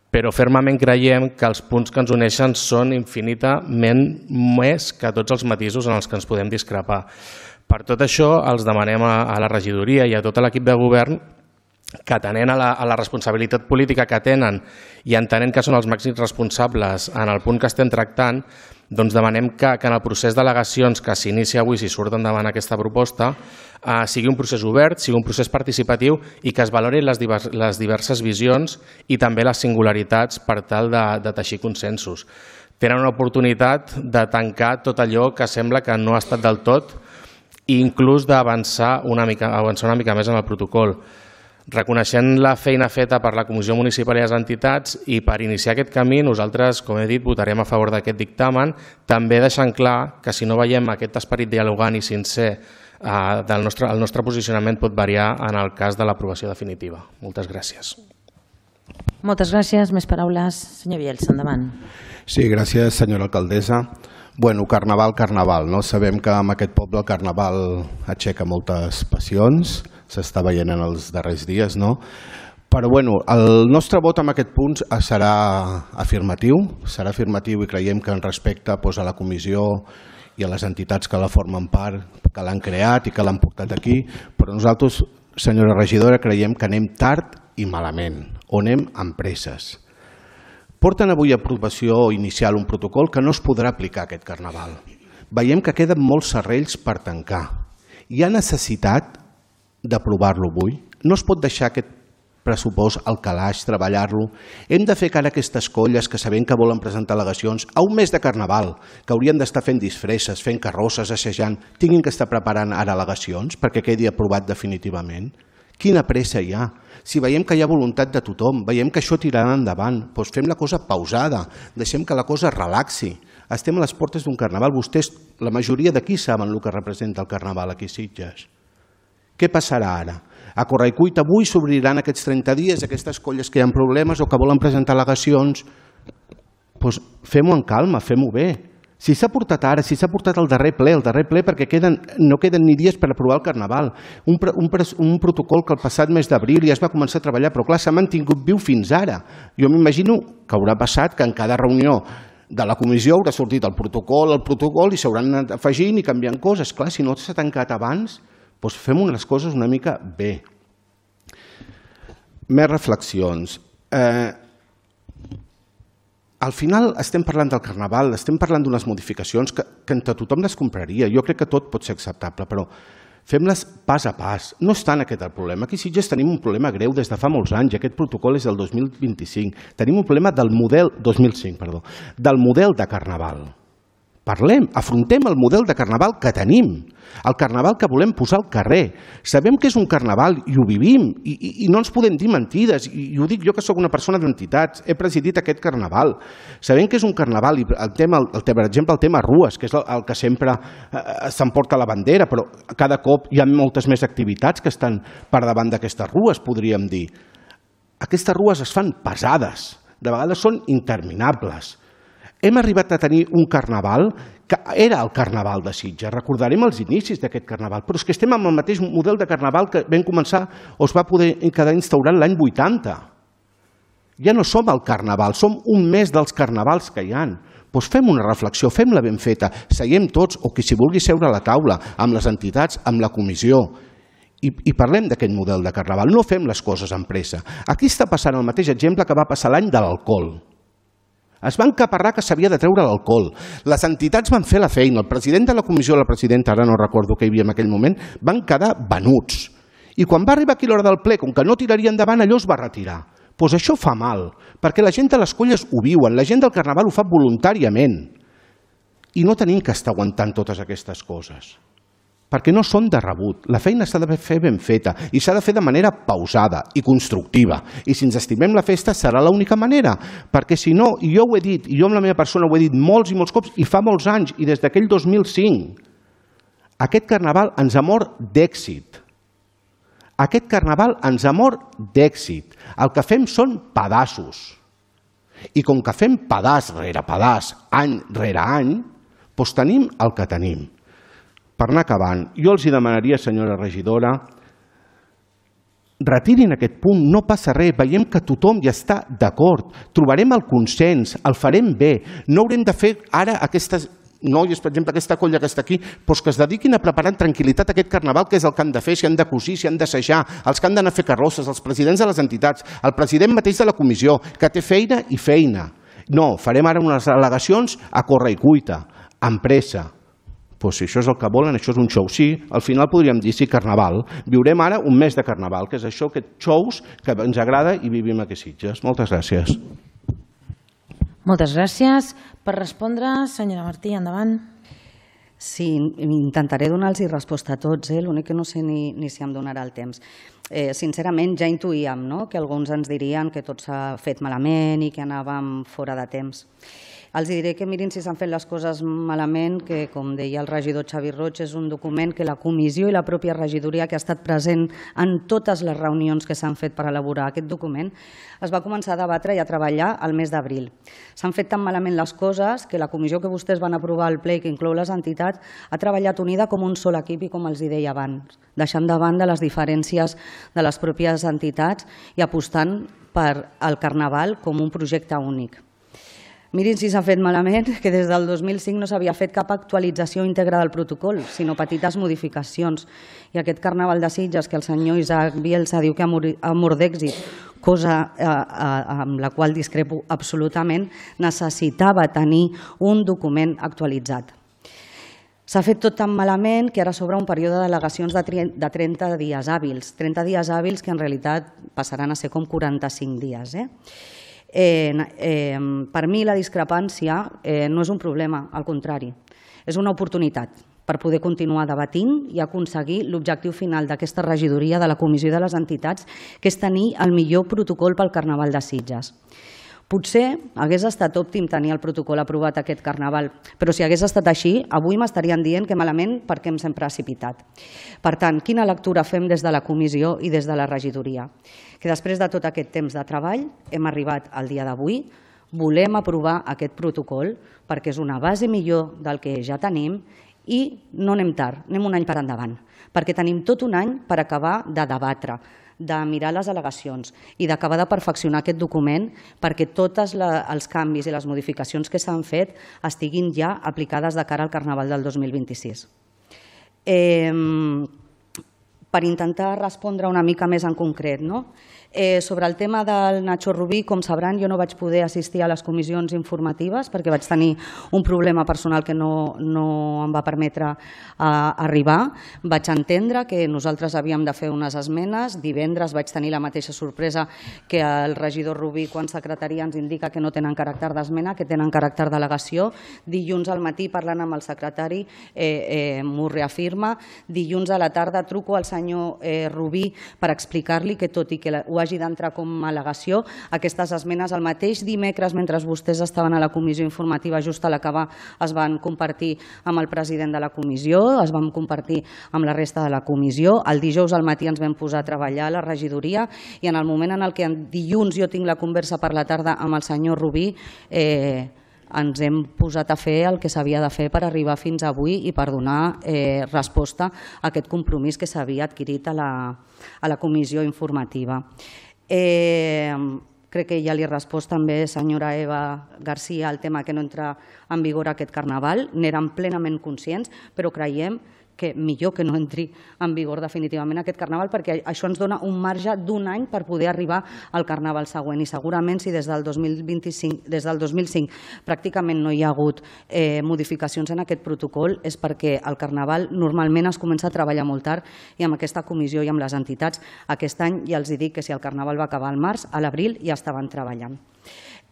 Però fermament creiem que els punts que ens uneixen són infinitament més que tots els matisos en els que ens podem discrepar. Per tot això, els demanem a la regidoria i a tot l'equip de govern que atenent a la, a la responsabilitat política que tenen i entenent que són els màxims responsables en el punt que estem tractant, doncs demanem que, que en el procés d'al·legacions que s'inicia avui, si surt endavant aquesta proposta, eh, sigui un procés obert, sigui un procés participatiu i que es valorin les, divers, les diverses visions i també les singularitats per tal de, de teixir consensos. Tenen una oportunitat de tancar tot allò que sembla que no ha estat del tot i inclús d'avançar una mica, avançar una mica més en el protocol. Reconeixent la feina feta per la Comissió Municipal i les entitats i per iniciar aquest camí, nosaltres, com he dit, votarem a favor d'aquest dictamen, també deixant clar que si no veiem aquest esperit dialogant i sincer eh, del nostre, el nostre posicionament pot variar en el cas de l'aprovació definitiva. Moltes gràcies. Moltes gràcies. Més paraules. Senyor Bielsa, endavant. Sí, gràcies, senyora alcaldessa. Bueno, carnaval, carnaval, no? Sabem que en aquest poble el carnaval aixeca moltes passions, s'està veient en els darrers dies, no? Però bueno, el nostre vot en aquest punt serà afirmatiu, serà afirmatiu i creiem que en respecte doncs, a la comissió i a les entitats que la formen part, que l'han creat i que l'han portat aquí, però nosaltres, senyora regidora, creiem que anem tard i malament, o anem amb presses. Porten avui a aprovació inicial un protocol que no es podrà aplicar aquest carnaval. Veiem que queden molts serrells per tancar. Hi ha necessitat d'aprovar-lo avui. No es pot deixar aquest pressupost al calaix, treballar-lo. Hem de fer cara a aquestes colles que sabem que volen presentar al·legacions a un mes de carnaval, que haurien d'estar fent disfresses, fent carrosses, assajant, tinguin que estar preparant ara al·legacions perquè quedi aprovat definitivament. Quina pressa hi ha? Si veiem que hi ha voluntat de tothom, veiem que això tirarà endavant, doncs fem la cosa pausada, deixem que la cosa relaxi. Estem a les portes d'un carnaval. Vostès, la majoria d'aquí saben el que representa el carnaval aquí a Sitges. Què passarà ara? A Correcuita avui s'obriran aquests trenta dies, aquestes colles que hi ha problemes o que volen presentar al·legacions. Doncs fem-ho en calma, fem-ho bé. Si s'ha portat ara, si s'ha portat al darrer ple, al darrer ple perquè no queden ni dies per aprovar el Carnaval, un protocol que el passat mes d'abril ja es va començar a treballar, però clar, s'ha mantingut viu fins ara. Jo m'imagino que haurà passat que en cada reunió de la comissió haurà sortit el protocol, el protocol i s'hauran anat afegint i canviant coses. Clar, si no s'ha tancat abans, doncs fem les coses una mica bé. Més reflexions. Al final estem parlant del Carnaval, estem parlant d'unes modificacions que entre tothom les compraria. Jo crec que tot pot ser acceptable, però fem-les pas a pas. No és tant aquest el problema. Aquí a Sitges tenim un problema greu des de fa molts anys. Aquest protocol és del dos mil vint-i-cinc. Tenim un problema del model dos mil cinc, perdó, del model de Carnaval. Parlem, afrontem el model de Carnaval que tenim, el Carnaval que volem posar al carrer. Sabem que és un Carnaval i ho vivim i, i, i no ens podem dir mentides. I, i ho dic jo que sóc una persona d'entitats, he presidit aquest Carnaval. Sabem que és un Carnaval i el tema, el, per exemple el tema rues, que és el, el que sempre eh, s'emporta la bandera, però cada cop hi ha moltes més activitats que estan per davant d'aquestes rues, podríem dir. Aquestes rues es fan pesades, de vegades són interminables. Hem arribat a tenir un Carnaval que era el Carnaval de Sitges. Recordarem els inicis d'aquest Carnaval, però és que estem amb el mateix model de Carnaval que vam començar o es va poder quedar instaurat l'any vuitanta. Ja no som el Carnaval, som un mes dels Carnavals que hi ha. Doncs fem una reflexió, fem-la ben feta, seiem tots, o qui s'hi vulgui seure a la taula, amb les entitats, amb la comissió, i, i parlem d'aquest model de Carnaval. No fem les coses amb pressa. Aquí està passant el mateix exemple que va passar l'any de l'alcohol. Es va encaparrar que s'havia de treure l'alcohol. Les entitats van fer la feina. El president de la comissió, la presidenta, ara no recordo què hi havia en aquell moment, van quedar venuts. I quan va arribar aquí l'hora del ple, com que no tiraria endavant, allò es va retirar. Doncs això fa mal, perquè la gent de les colles ho viuen, la gent del Carnaval ho fa voluntàriament. I no tenim que estar aguantant totes aquestes coses, perquè no són de rebut. La feina s'ha de fer ben feta i s'ha de fer de manera pausada i constructiva. I si ens estimem la festa serà l'única manera, perquè si no, i jo ho he dit, i jo amb la meva persona ho he dit molts i molts cops, i fa molts anys, i des d'aquell dos mil cinc, aquest Carnaval ens ha mort d'èxit. Aquest Carnaval ens ha mort d'èxit. El que fem són pedaços. I com que fem pedaç rere pedaç, any rere any, doncs tenim el que tenim. Per anar acabant, jo els demanaria, senyora regidora, retirin aquest punt, no passa res, veiem que tothom hi està d'acord, trobarem el consens, el farem bé, no haurem de fer ara aquestes noies, per exemple, aquesta colla que està aquí, doncs que es dediquin a preparar en tranquil·litat aquest Carnaval, que és el que han de fer, si han de cosir, si han d'assajar, els que han d'anar a fer carrosses, els presidents de les entitats, el president mateix de la comissió, que té feina i feina. No, farem ara unes al·legacions a corre i cuita, amb pressa. Doncs si això és el que volen, això és un show. Sí, al final podríem dir, sí, Carnaval. Viurem ara un mes de Carnaval, que és això, aquests shows que ens agrada i vivim aquí a Sitges. Moltes gràcies. Moltes gràcies. Per respondre, senyora Martí, endavant. Sí, intentaré donar-los resposta a tots, eh? L'únic que no sé ni, ni si em donarà el temps. Eh, sincerament, ja intuïem, no?, que alguns ens dirien que tot s'ha fet malament i que anàvem fora de temps. Els diré que mirin si s'han fet les coses malament, que, com deia el regidor Xavi Roig, és un document que la comissió i la pròpia regidoria, que ha estat present en totes les reunions que s'han fet per elaborar aquest document, es va començar a debatre i a treballar al mes d'abril. S'han fet tan malament les coses que la comissió que vostès van aprovar al ple, que inclou les entitats, ha treballat unida com un sol equip i com els deia abans, deixant de banda les diferències de les pròpies entitats i apostant per al Carnaval com un projecte únic. Mirin si s'ha fet malament, que des del dos mil cinc no s'havia fet cap actualització íntegra del protocol, sinó petites modificacions. I aquest Carnaval de Sitges, que el senyor Isaac Bielsa diu que ha mort d'èxit, cosa amb la qual discrepo absolutament, necessitava tenir un document actualitzat. S'ha fet tot tan malament que ara s'obre un període d'al·legacions de trenta dies hàbils, trenta dies hàbils que en realitat passaran a ser com quaranta-cinc dies. Eh, eh, per mi la discrepància eh, no és un problema, al contrari, és una oportunitat per poder continuar debatint i aconseguir l'objectiu final d'aquesta regidoria de la Comissió de les Entitats, que és tenir el millor protocol pel Carnaval de Sitges. Potser hagués estat òptim tenir el protocol aprovat aquest Carnaval, però si hagués estat així, avui m'estarien dient que malament perquè em s'hem precipitat. Per tant, quina lectura fem des de la comissió i des de la regidoria? Que després de tot aquest temps de treball hem arribat al dia d'avui, volem aprovar aquest protocol perquè és una base millor del que ja tenim i no anem tard, anem un any per endavant, perquè tenim tot un any per acabar de debatre, de mirar les al·legacions i d'acabar de perfeccionar aquest document perquè tots els canvis i les modificacions que s'han fet estiguin ja aplicades de cara al Carnaval del dos mil vint-i-sis. Per intentar respondre una mica més en concret, no? Sobre el tema del Nacho Rubí, com sabran, jo no vaig poder assistir a les comissions informatives perquè vaig tenir un problema personal que no em va permetre arribar. Vaig entendre que nosaltres havíem de fer unes esmenes. Divendres vaig tenir la mateixa sorpresa que el regidor Rubí quan secretaria ens indica que no tenen caràcter d'esmena, que tenen caràcter d'al·legació. Dilluns al matí, parlant amb el secretari, m'ho reafirma. Dilluns a la tarda truco al senyor Rubí per explicar-li que tot i que ho hagi d'entrar com a al·legació, aquestes esmenes el mateix dimecres, mentre vostès estaven a la comissió informativa, just a l'acabar, es van compartir amb el president de la comissió, es van compartir amb la resta de la comissió. El dijous al matí ens vam posar a treballar a la regidoria i en el moment en el que dilluns jo tinc la conversa per la tarda amb el senyor Rubí, eh, ens hem posat a fer el que s'havia de fer per arribar fins avui i per donar resposta a aquest compromís que s'havia adquirit a la comissió informativa. Crec que ja li he respost també, senyora Eva García, el tema que no entra en vigor aquest Carnaval. N'érem plenament conscients, però creiem que millor que no entri en vigor definitivament aquest Carnaval perquè això ens dona un marge d'un any per poder arribar al Carnaval següent i segurament si des del dos mil vint-i-cinc, des del dos mil cinc pràcticament no hi ha hagut modificacions en aquest protocol és perquè el Carnaval normalment es comença a treballar molt tard i amb aquesta comissió i amb les entitats aquest any ja els dic que si el Carnaval va acabar al març, a l'abril ja estaven treballant.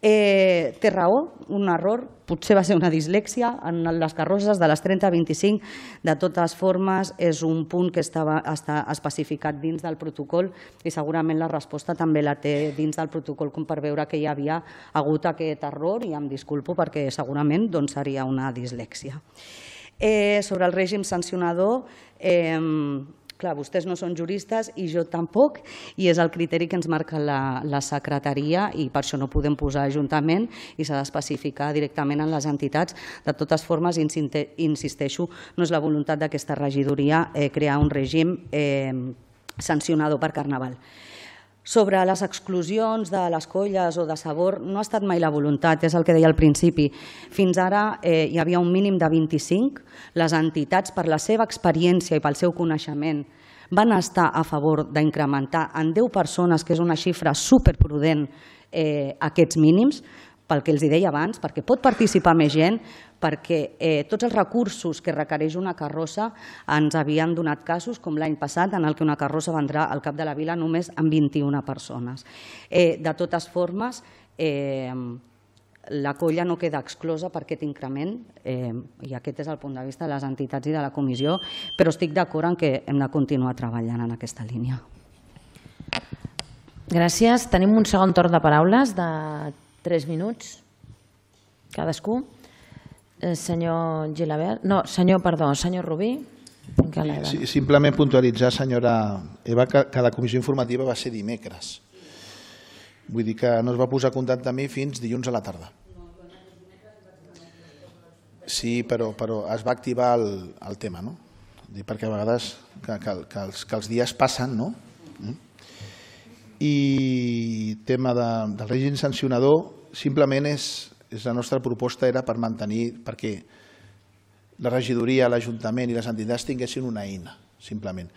Té raó, un error, potser va ser una dislèxia en les carrosses de les trenta a vint-i-cinc, de totes formes és un punt que està especificat dins del protocol i segurament la resposta també la té dins del protocol com per veure que hi havia hagut aquest error i em disculpo perquè segurament seria una dislèxia. Sobre el règim sancionador, clar, vostès no són juristes i jo tampoc, i és el criteri que ens marca la secretaria i per això no podem posar ajuntament i s'ha d'especificar directament en les entitats. De totes formes, insisteixo, no és la voluntat d'aquesta regidoria crear un règim sancionador per Carnaval. Sobre les exclusions de les colles o de sabor no ha estat mai la voluntat, és el que deia al principi. Fins ara hi havia un mínim de vint-i-cinc. Les entitats, per la seva experiència i pel seu coneixement, van estar a favor d'incrementar en deu persones, que és una xifra superprudent, aquests mínims, pel que els deia abans, perquè pot participar més gent, perquè tots els recursos que requereix una carrossa ens havien donat casos, com l'any passat, en què una carrossa va entrar al cap de la vila només amb vint-i-una persones. De totes formes, la colla no queda exclosa per aquest increment, i aquest és el punt de vista de les entitats i de la comissió, però estic d'acord en que hem de continuar treballant en aquesta línia. Gràcies. Tenim un segon torn de paraules de tres minuts cadascú. Senyor Gilabert, no, senyor, perdó, senyor Rubí. Sí, simplement puntualitzar, senyora Eva, que la comissió informativa va ser dimecres. Vull dir que no es va posar a contacte amb mi fins dilluns a la tarda. Sí, però es va activar el tema, no? Perquè a vegades que els dies passen, no? I tema del règim sancionador, simplement és la nostra proposta era per mantenir, perquè la regidoria, l'Ajuntament i les entitats tinguessin una eina, simplement.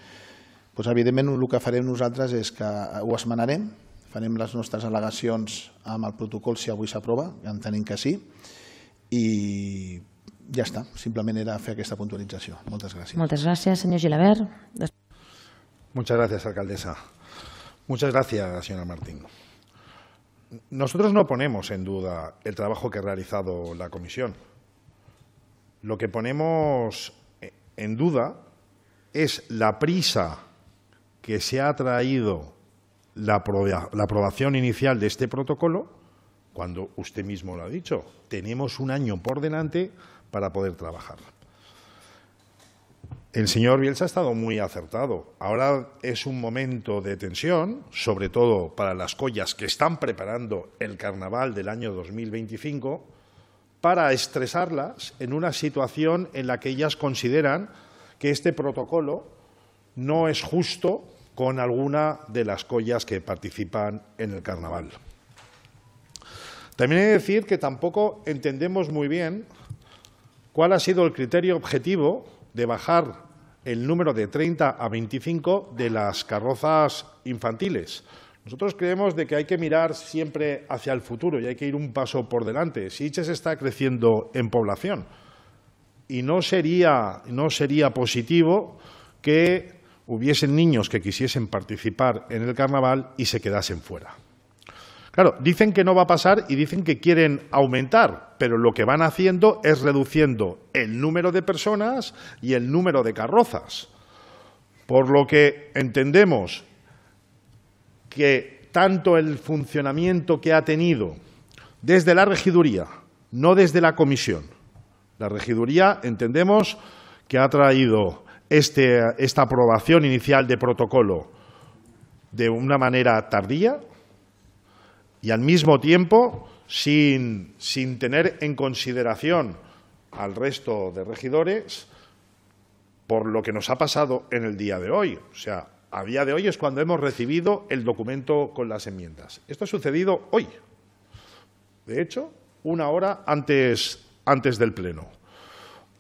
Evidentment, el que farem nosaltres és que ho esmenarem, farem les nostres al·legacions amb el protocol si avui s'aprova, entenem que sí, i ja està, simplement era fer aquesta puntualització. Moltes gràcies. Moltes gràcies, senyor Gilabert. Muchas gracias, alcaldesa. Muchas gracias, señora Martín. Nosotros no ponemos en duda el trabajo que ha realizado la comisión. Lo que ponemos en duda es la prisa que se ha traído la aprobación inicial de este protocolo cuando usted mismo lo ha dicho. Tenemos un año por delante para poder trabajar. El señor Bielsa ha estado muy acertado. Ahora es un momento de tensión, sobre todo para las collas que están preparando el carnaval del año dos mil veinticinco, para estresarlas en una situación en la que ellas consideran que este protocolo no es justo con alguna de las collas que participan en el carnaval. También he de decir que tampoco entendemos muy bien cuál ha sido el criterio objetivo de bajar el número de treinta a veinticinco de las carrozas infantiles. Nosotros creemos de que hay que mirar siempre hacia el futuro y hay que ir un paso por delante. Sitges está creciendo en población y no sería, no sería positivo que hubiesen niños que quisiesen participar en el carnaval y se quedasen fuera. Claro, dicen que no va a pasar y dicen que quieren aumentar, pero lo que van haciendo es reduciendo el número de personas y el número de carrozas. Por lo que entendemos que tanto el funcionamiento que ha tenido desde la regiduría, no desde la comisión, la regiduría entendemos que ha traído este, esta aprobación inicial de protocolo de una manera tardía, y al mismo tiempo sin, sin tener en consideración al resto de regidores por lo que nos ha pasado en el día de hoy. O sea, a día de hoy es cuando hemos recibido el documento con las enmiendas. Esto ha sucedido hoy. De hecho, una hora antes, antes del Pleno.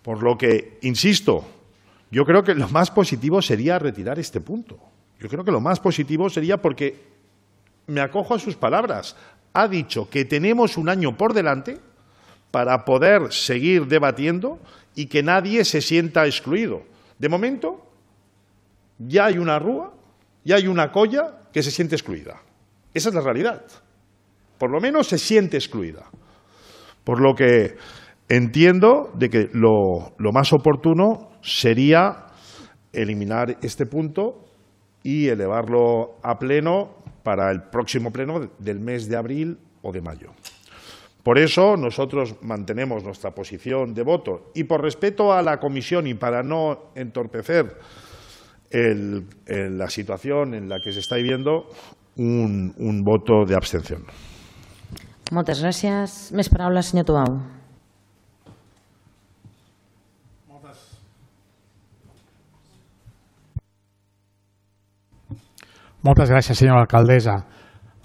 Por lo que, insisto, yo creo que lo más positivo sería retirar este punto. Yo creo que lo más positivo sería porque me acojo a sus palabras. Ha dicho que tenemos un año por delante para poder seguir debatiendo y que nadie se sienta excluido. De momento, ya hay una rúa, ya hay una colla que se siente excluida. Esa es la realidad. Por lo menos se siente excluida. Por lo que entiendo de que lo, lo más oportuno sería eliminar este punto y elevarlo a pleno para el próximo pleno del mes de abril o de mayo. Por eso nosotros mantenemos nuestra posición de voto y por respeto a la comisión y para no entorpecer el, el, la situación en la que se está viviendo, un, un voto de abstención. Moltes gràcies. Més paraules, senyor Tubau. Moltes gràcies, senyora alcaldessa.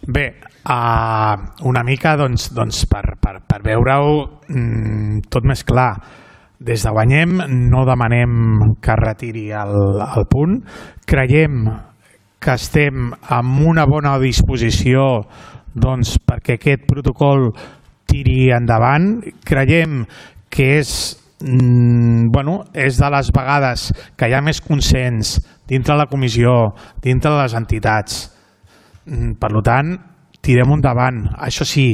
Bé, uh, una mica doncs, doncs per, per, per veure-ho mm, tot més clar. Des de Guanyem no demanem que retiri el, el punt. Creiem que estem amb una bona disposició doncs, perquè aquest protocol tiri endavant. Creiem que és, mm, bueno, és de les vegades que hi ha més consens dintre de la comissió, dintre de les entitats. Per tant, tirem endavant. Això sí,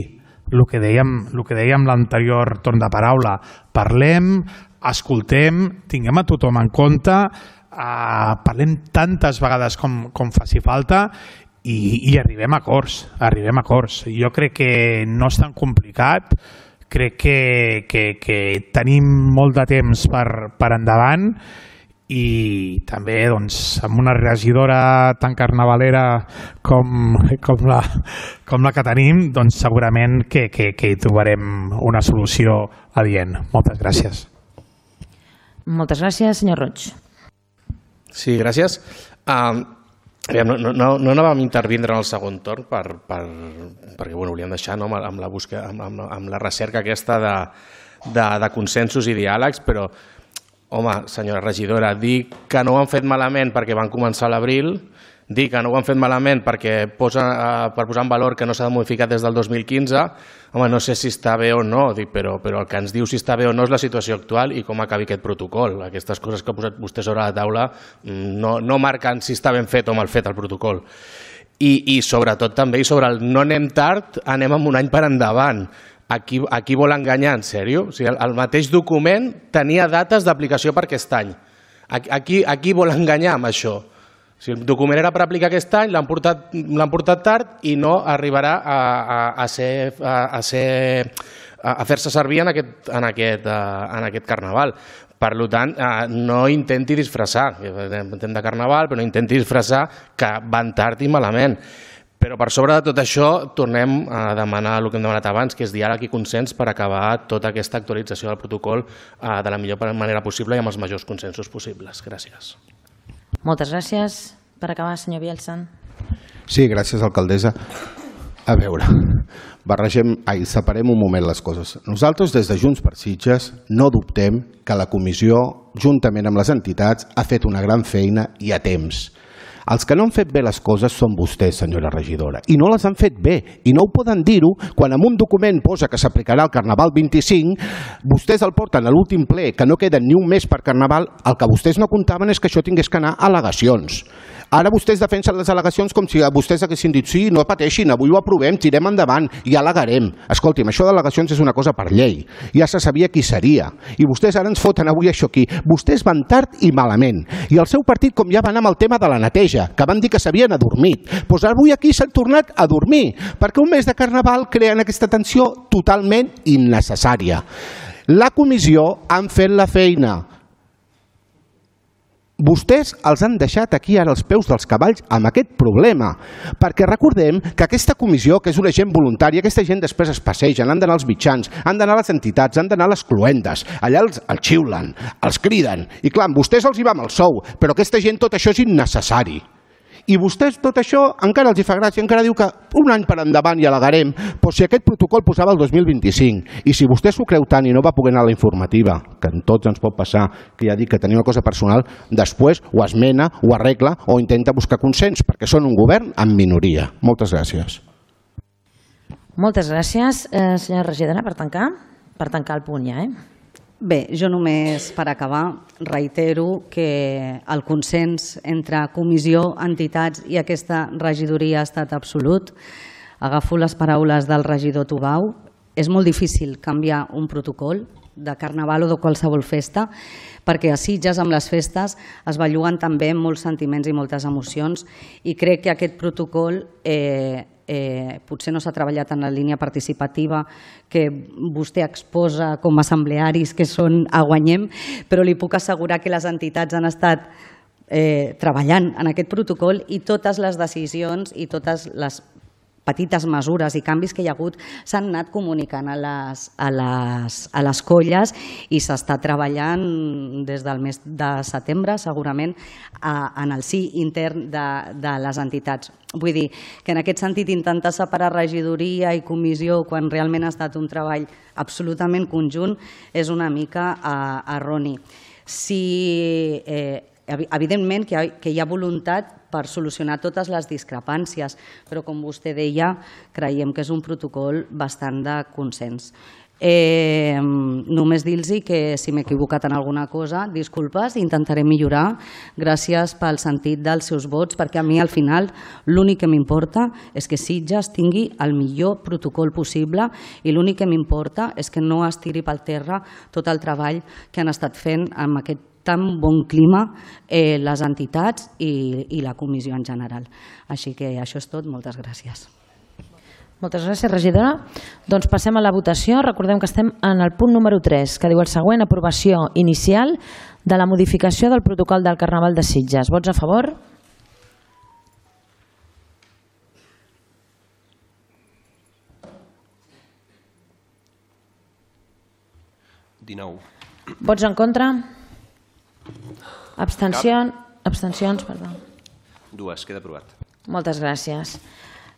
el que dèiem, el que dèiem l'anterior torn de paraula, parlem, escoltem, tinguem a tothom en compte, eh, parlem tantes vegades com, com faci falta i, i arribem a acords, arribem a acords. Jo crec que no és tan complicat, crec que, que, que tenim molt de temps per, per endavant i també doncs, amb una regidora tan carnavalera com, com, la, com la que tenim, doncs, segurament que, que, que hi trobarem una solució adient. Moltes gràcies. Moltes gràcies, senyor Roig. Sí, gràcies. Um, no, no, no anàvem a intervindre en el segon torn per, per, perquè bueno, volíem deixar no, amb, la busca, amb, amb, amb la recerca aquesta de, de, de consensos i diàlegs, però home, senyora regidora, dir que no ho han fet malament perquè van començar a l'abril, dir que no ho han fet malament perquè posa, per posar en valor que no s'ha modificat des del dos mil quinze, home, no sé si està bé o no, dic, però, però el que ens diu si està bé o no és la situació actual i com acabi aquest protocol. Aquestes coses que ha posat vostè sobre la taula no, no marquen si està ben fet o mal fet el protocol. I, i sobretot també, i sobre el no anem tard, anem amb un any per endavant. A qui, a qui vol enganyar, en sèrio? O sigui, el, el mateix document tenia dates d'aplicació per aquest any. A, a, qui, a qui vol enganyar amb això? Si el document era per aplicar aquest any, l'han portat, l'han portat tard i no arribarà a, a, a ser... A, a ser a fer-se servir en aquest, en, aquest, en aquest carnaval. Per tant, no intenti disfressar, entenc de carnaval, però no intenti disfressar que van tard i malament. Però per sobre de tot això tornem a demanar el que hem demanat abans, que és diàleg i consens per acabar tota aquesta actualització del protocol de la millor manera possible i amb els majors consensos possibles. Gràcies. Moltes gràcies. Per acabar, senyor Bielsan. Sí, gràcies, alcaldessa. A veure, barregem, ai, separem un moment les coses. Nosaltres, des de Junts per Sitges, no dubtem que la comissió, juntament amb les entitats, ha fet una gran feina i a temps. Els que no han fet bé les coses són vostès, senyora regidora, i no les han fet bé, i no ho poden dir-ho quan en un document posa que s'aplicarà el Carnaval vint-i-cinc, vostès el porten a l'últim ple, que no queda ni un mes per Carnaval, el que vostès no comptaven és que això tingués que anar a al·legacions. Ara vostès defensen les al·legacions com si vostès haguessin dit sí, no pateixin, avui ho aprovem, tirem endavant i al·legarem. Escolti'm, això d'al·legacions és una cosa per llei. Ja se sabia qui seria. I vostès ara ens foten avui això aquí. Vostès van tard i malament. I el seu partit, com ja va anar amb el tema de la neteja, que van dir que s'havien adormit, doncs avui aquí s'han tornat a dormir, perquè un mes de Carnaval creen aquesta tensió totalment innecessària. La comissió han fet la feina. Vostès els han deixat aquí ara els peus dels cavalls amb aquest problema, perquè recordem que aquesta comissió, que és una gent voluntària, aquesta gent després es passegen, han d'anar als mitjans, han d'anar a les entitats, han d'anar a les cluendes, allà els, els xiulen, els criden, i clar, amb vostès els hi va amb el sou, però aquesta gent tot això és innecessari. I vostès tot això encara els hi fa gràcia, encara diu que un any per endavant i al·legarem, però si aquest protocol posava el dos mil vint-i-cinc, i si vostè s'ho creu tant i no va poder anar a la informativa, que en tots ens pot passar, que ja dic que tenia una cosa personal, després ho esmena, ho arregla o intenta buscar consens, perquè són un govern en minoria. Moltes gràcies. Moltes gràcies, eh, senyora regidora, per tancar, per tancar el punt ja, eh? Bé, jo només per acabar reitero que el consens entre comissió, entitats i aquesta regidoria ha estat absolut. Agafo les paraules del regidor Tubau. És molt difícil canviar un protocol de Carnaval o de qualsevol festa, perquè a Sitges amb les festes es belluguen també molts sentiments i moltes emocions, i crec que aquest protocol eh, eh, potser no s'ha treballat en la línia participativa que vostè exposa com a assemblearis que són a Guanyem, però li puc assegurar que les entitats han estat eh, treballant en aquest protocol i totes les decisions i totes les petites mesures i canvis que hi ha hagut s'han anat comunicant a les, a les, a les colles i s'està treballant des del mes de setembre segurament a, en el si intern de, de les entitats. Vull dir que en aquest sentit intentar separar regidoria i comissió quan realment ha estat un treball absolutament conjunt és una mica uh, erroni. Si, eh, evidentment que hi, ha, que hi ha voluntat per solucionar totes les discrepàncies, però com vostè deia, creiem que és un protocol bastant de consens. Eh, només dir-los que si m'he equivocat en alguna cosa, disculpes, intentaré millorar. Gràcies pel sentit dels seus vots, perquè a mi al final l'únic que m'importa és que Sitges tingui el millor protocol possible i l'únic que m'importa és que no es tiri pel terra tot el treball que han estat fent amb aquest tan bon clima eh, les entitats i, i la comissió en general. Així que això és tot. Moltes gràcies. Moltes gràcies, regidora. Doncs passem a la votació. Recordem que estem en el punt número tres, que diu el següent: aprovació inicial de la modificació del protocol del Carnaval de Sitges. Vots a favor? dinou. Vots en contra? Abstencions? Abstencions, perdó. Dues, queda aprovat. Moltes gràcies.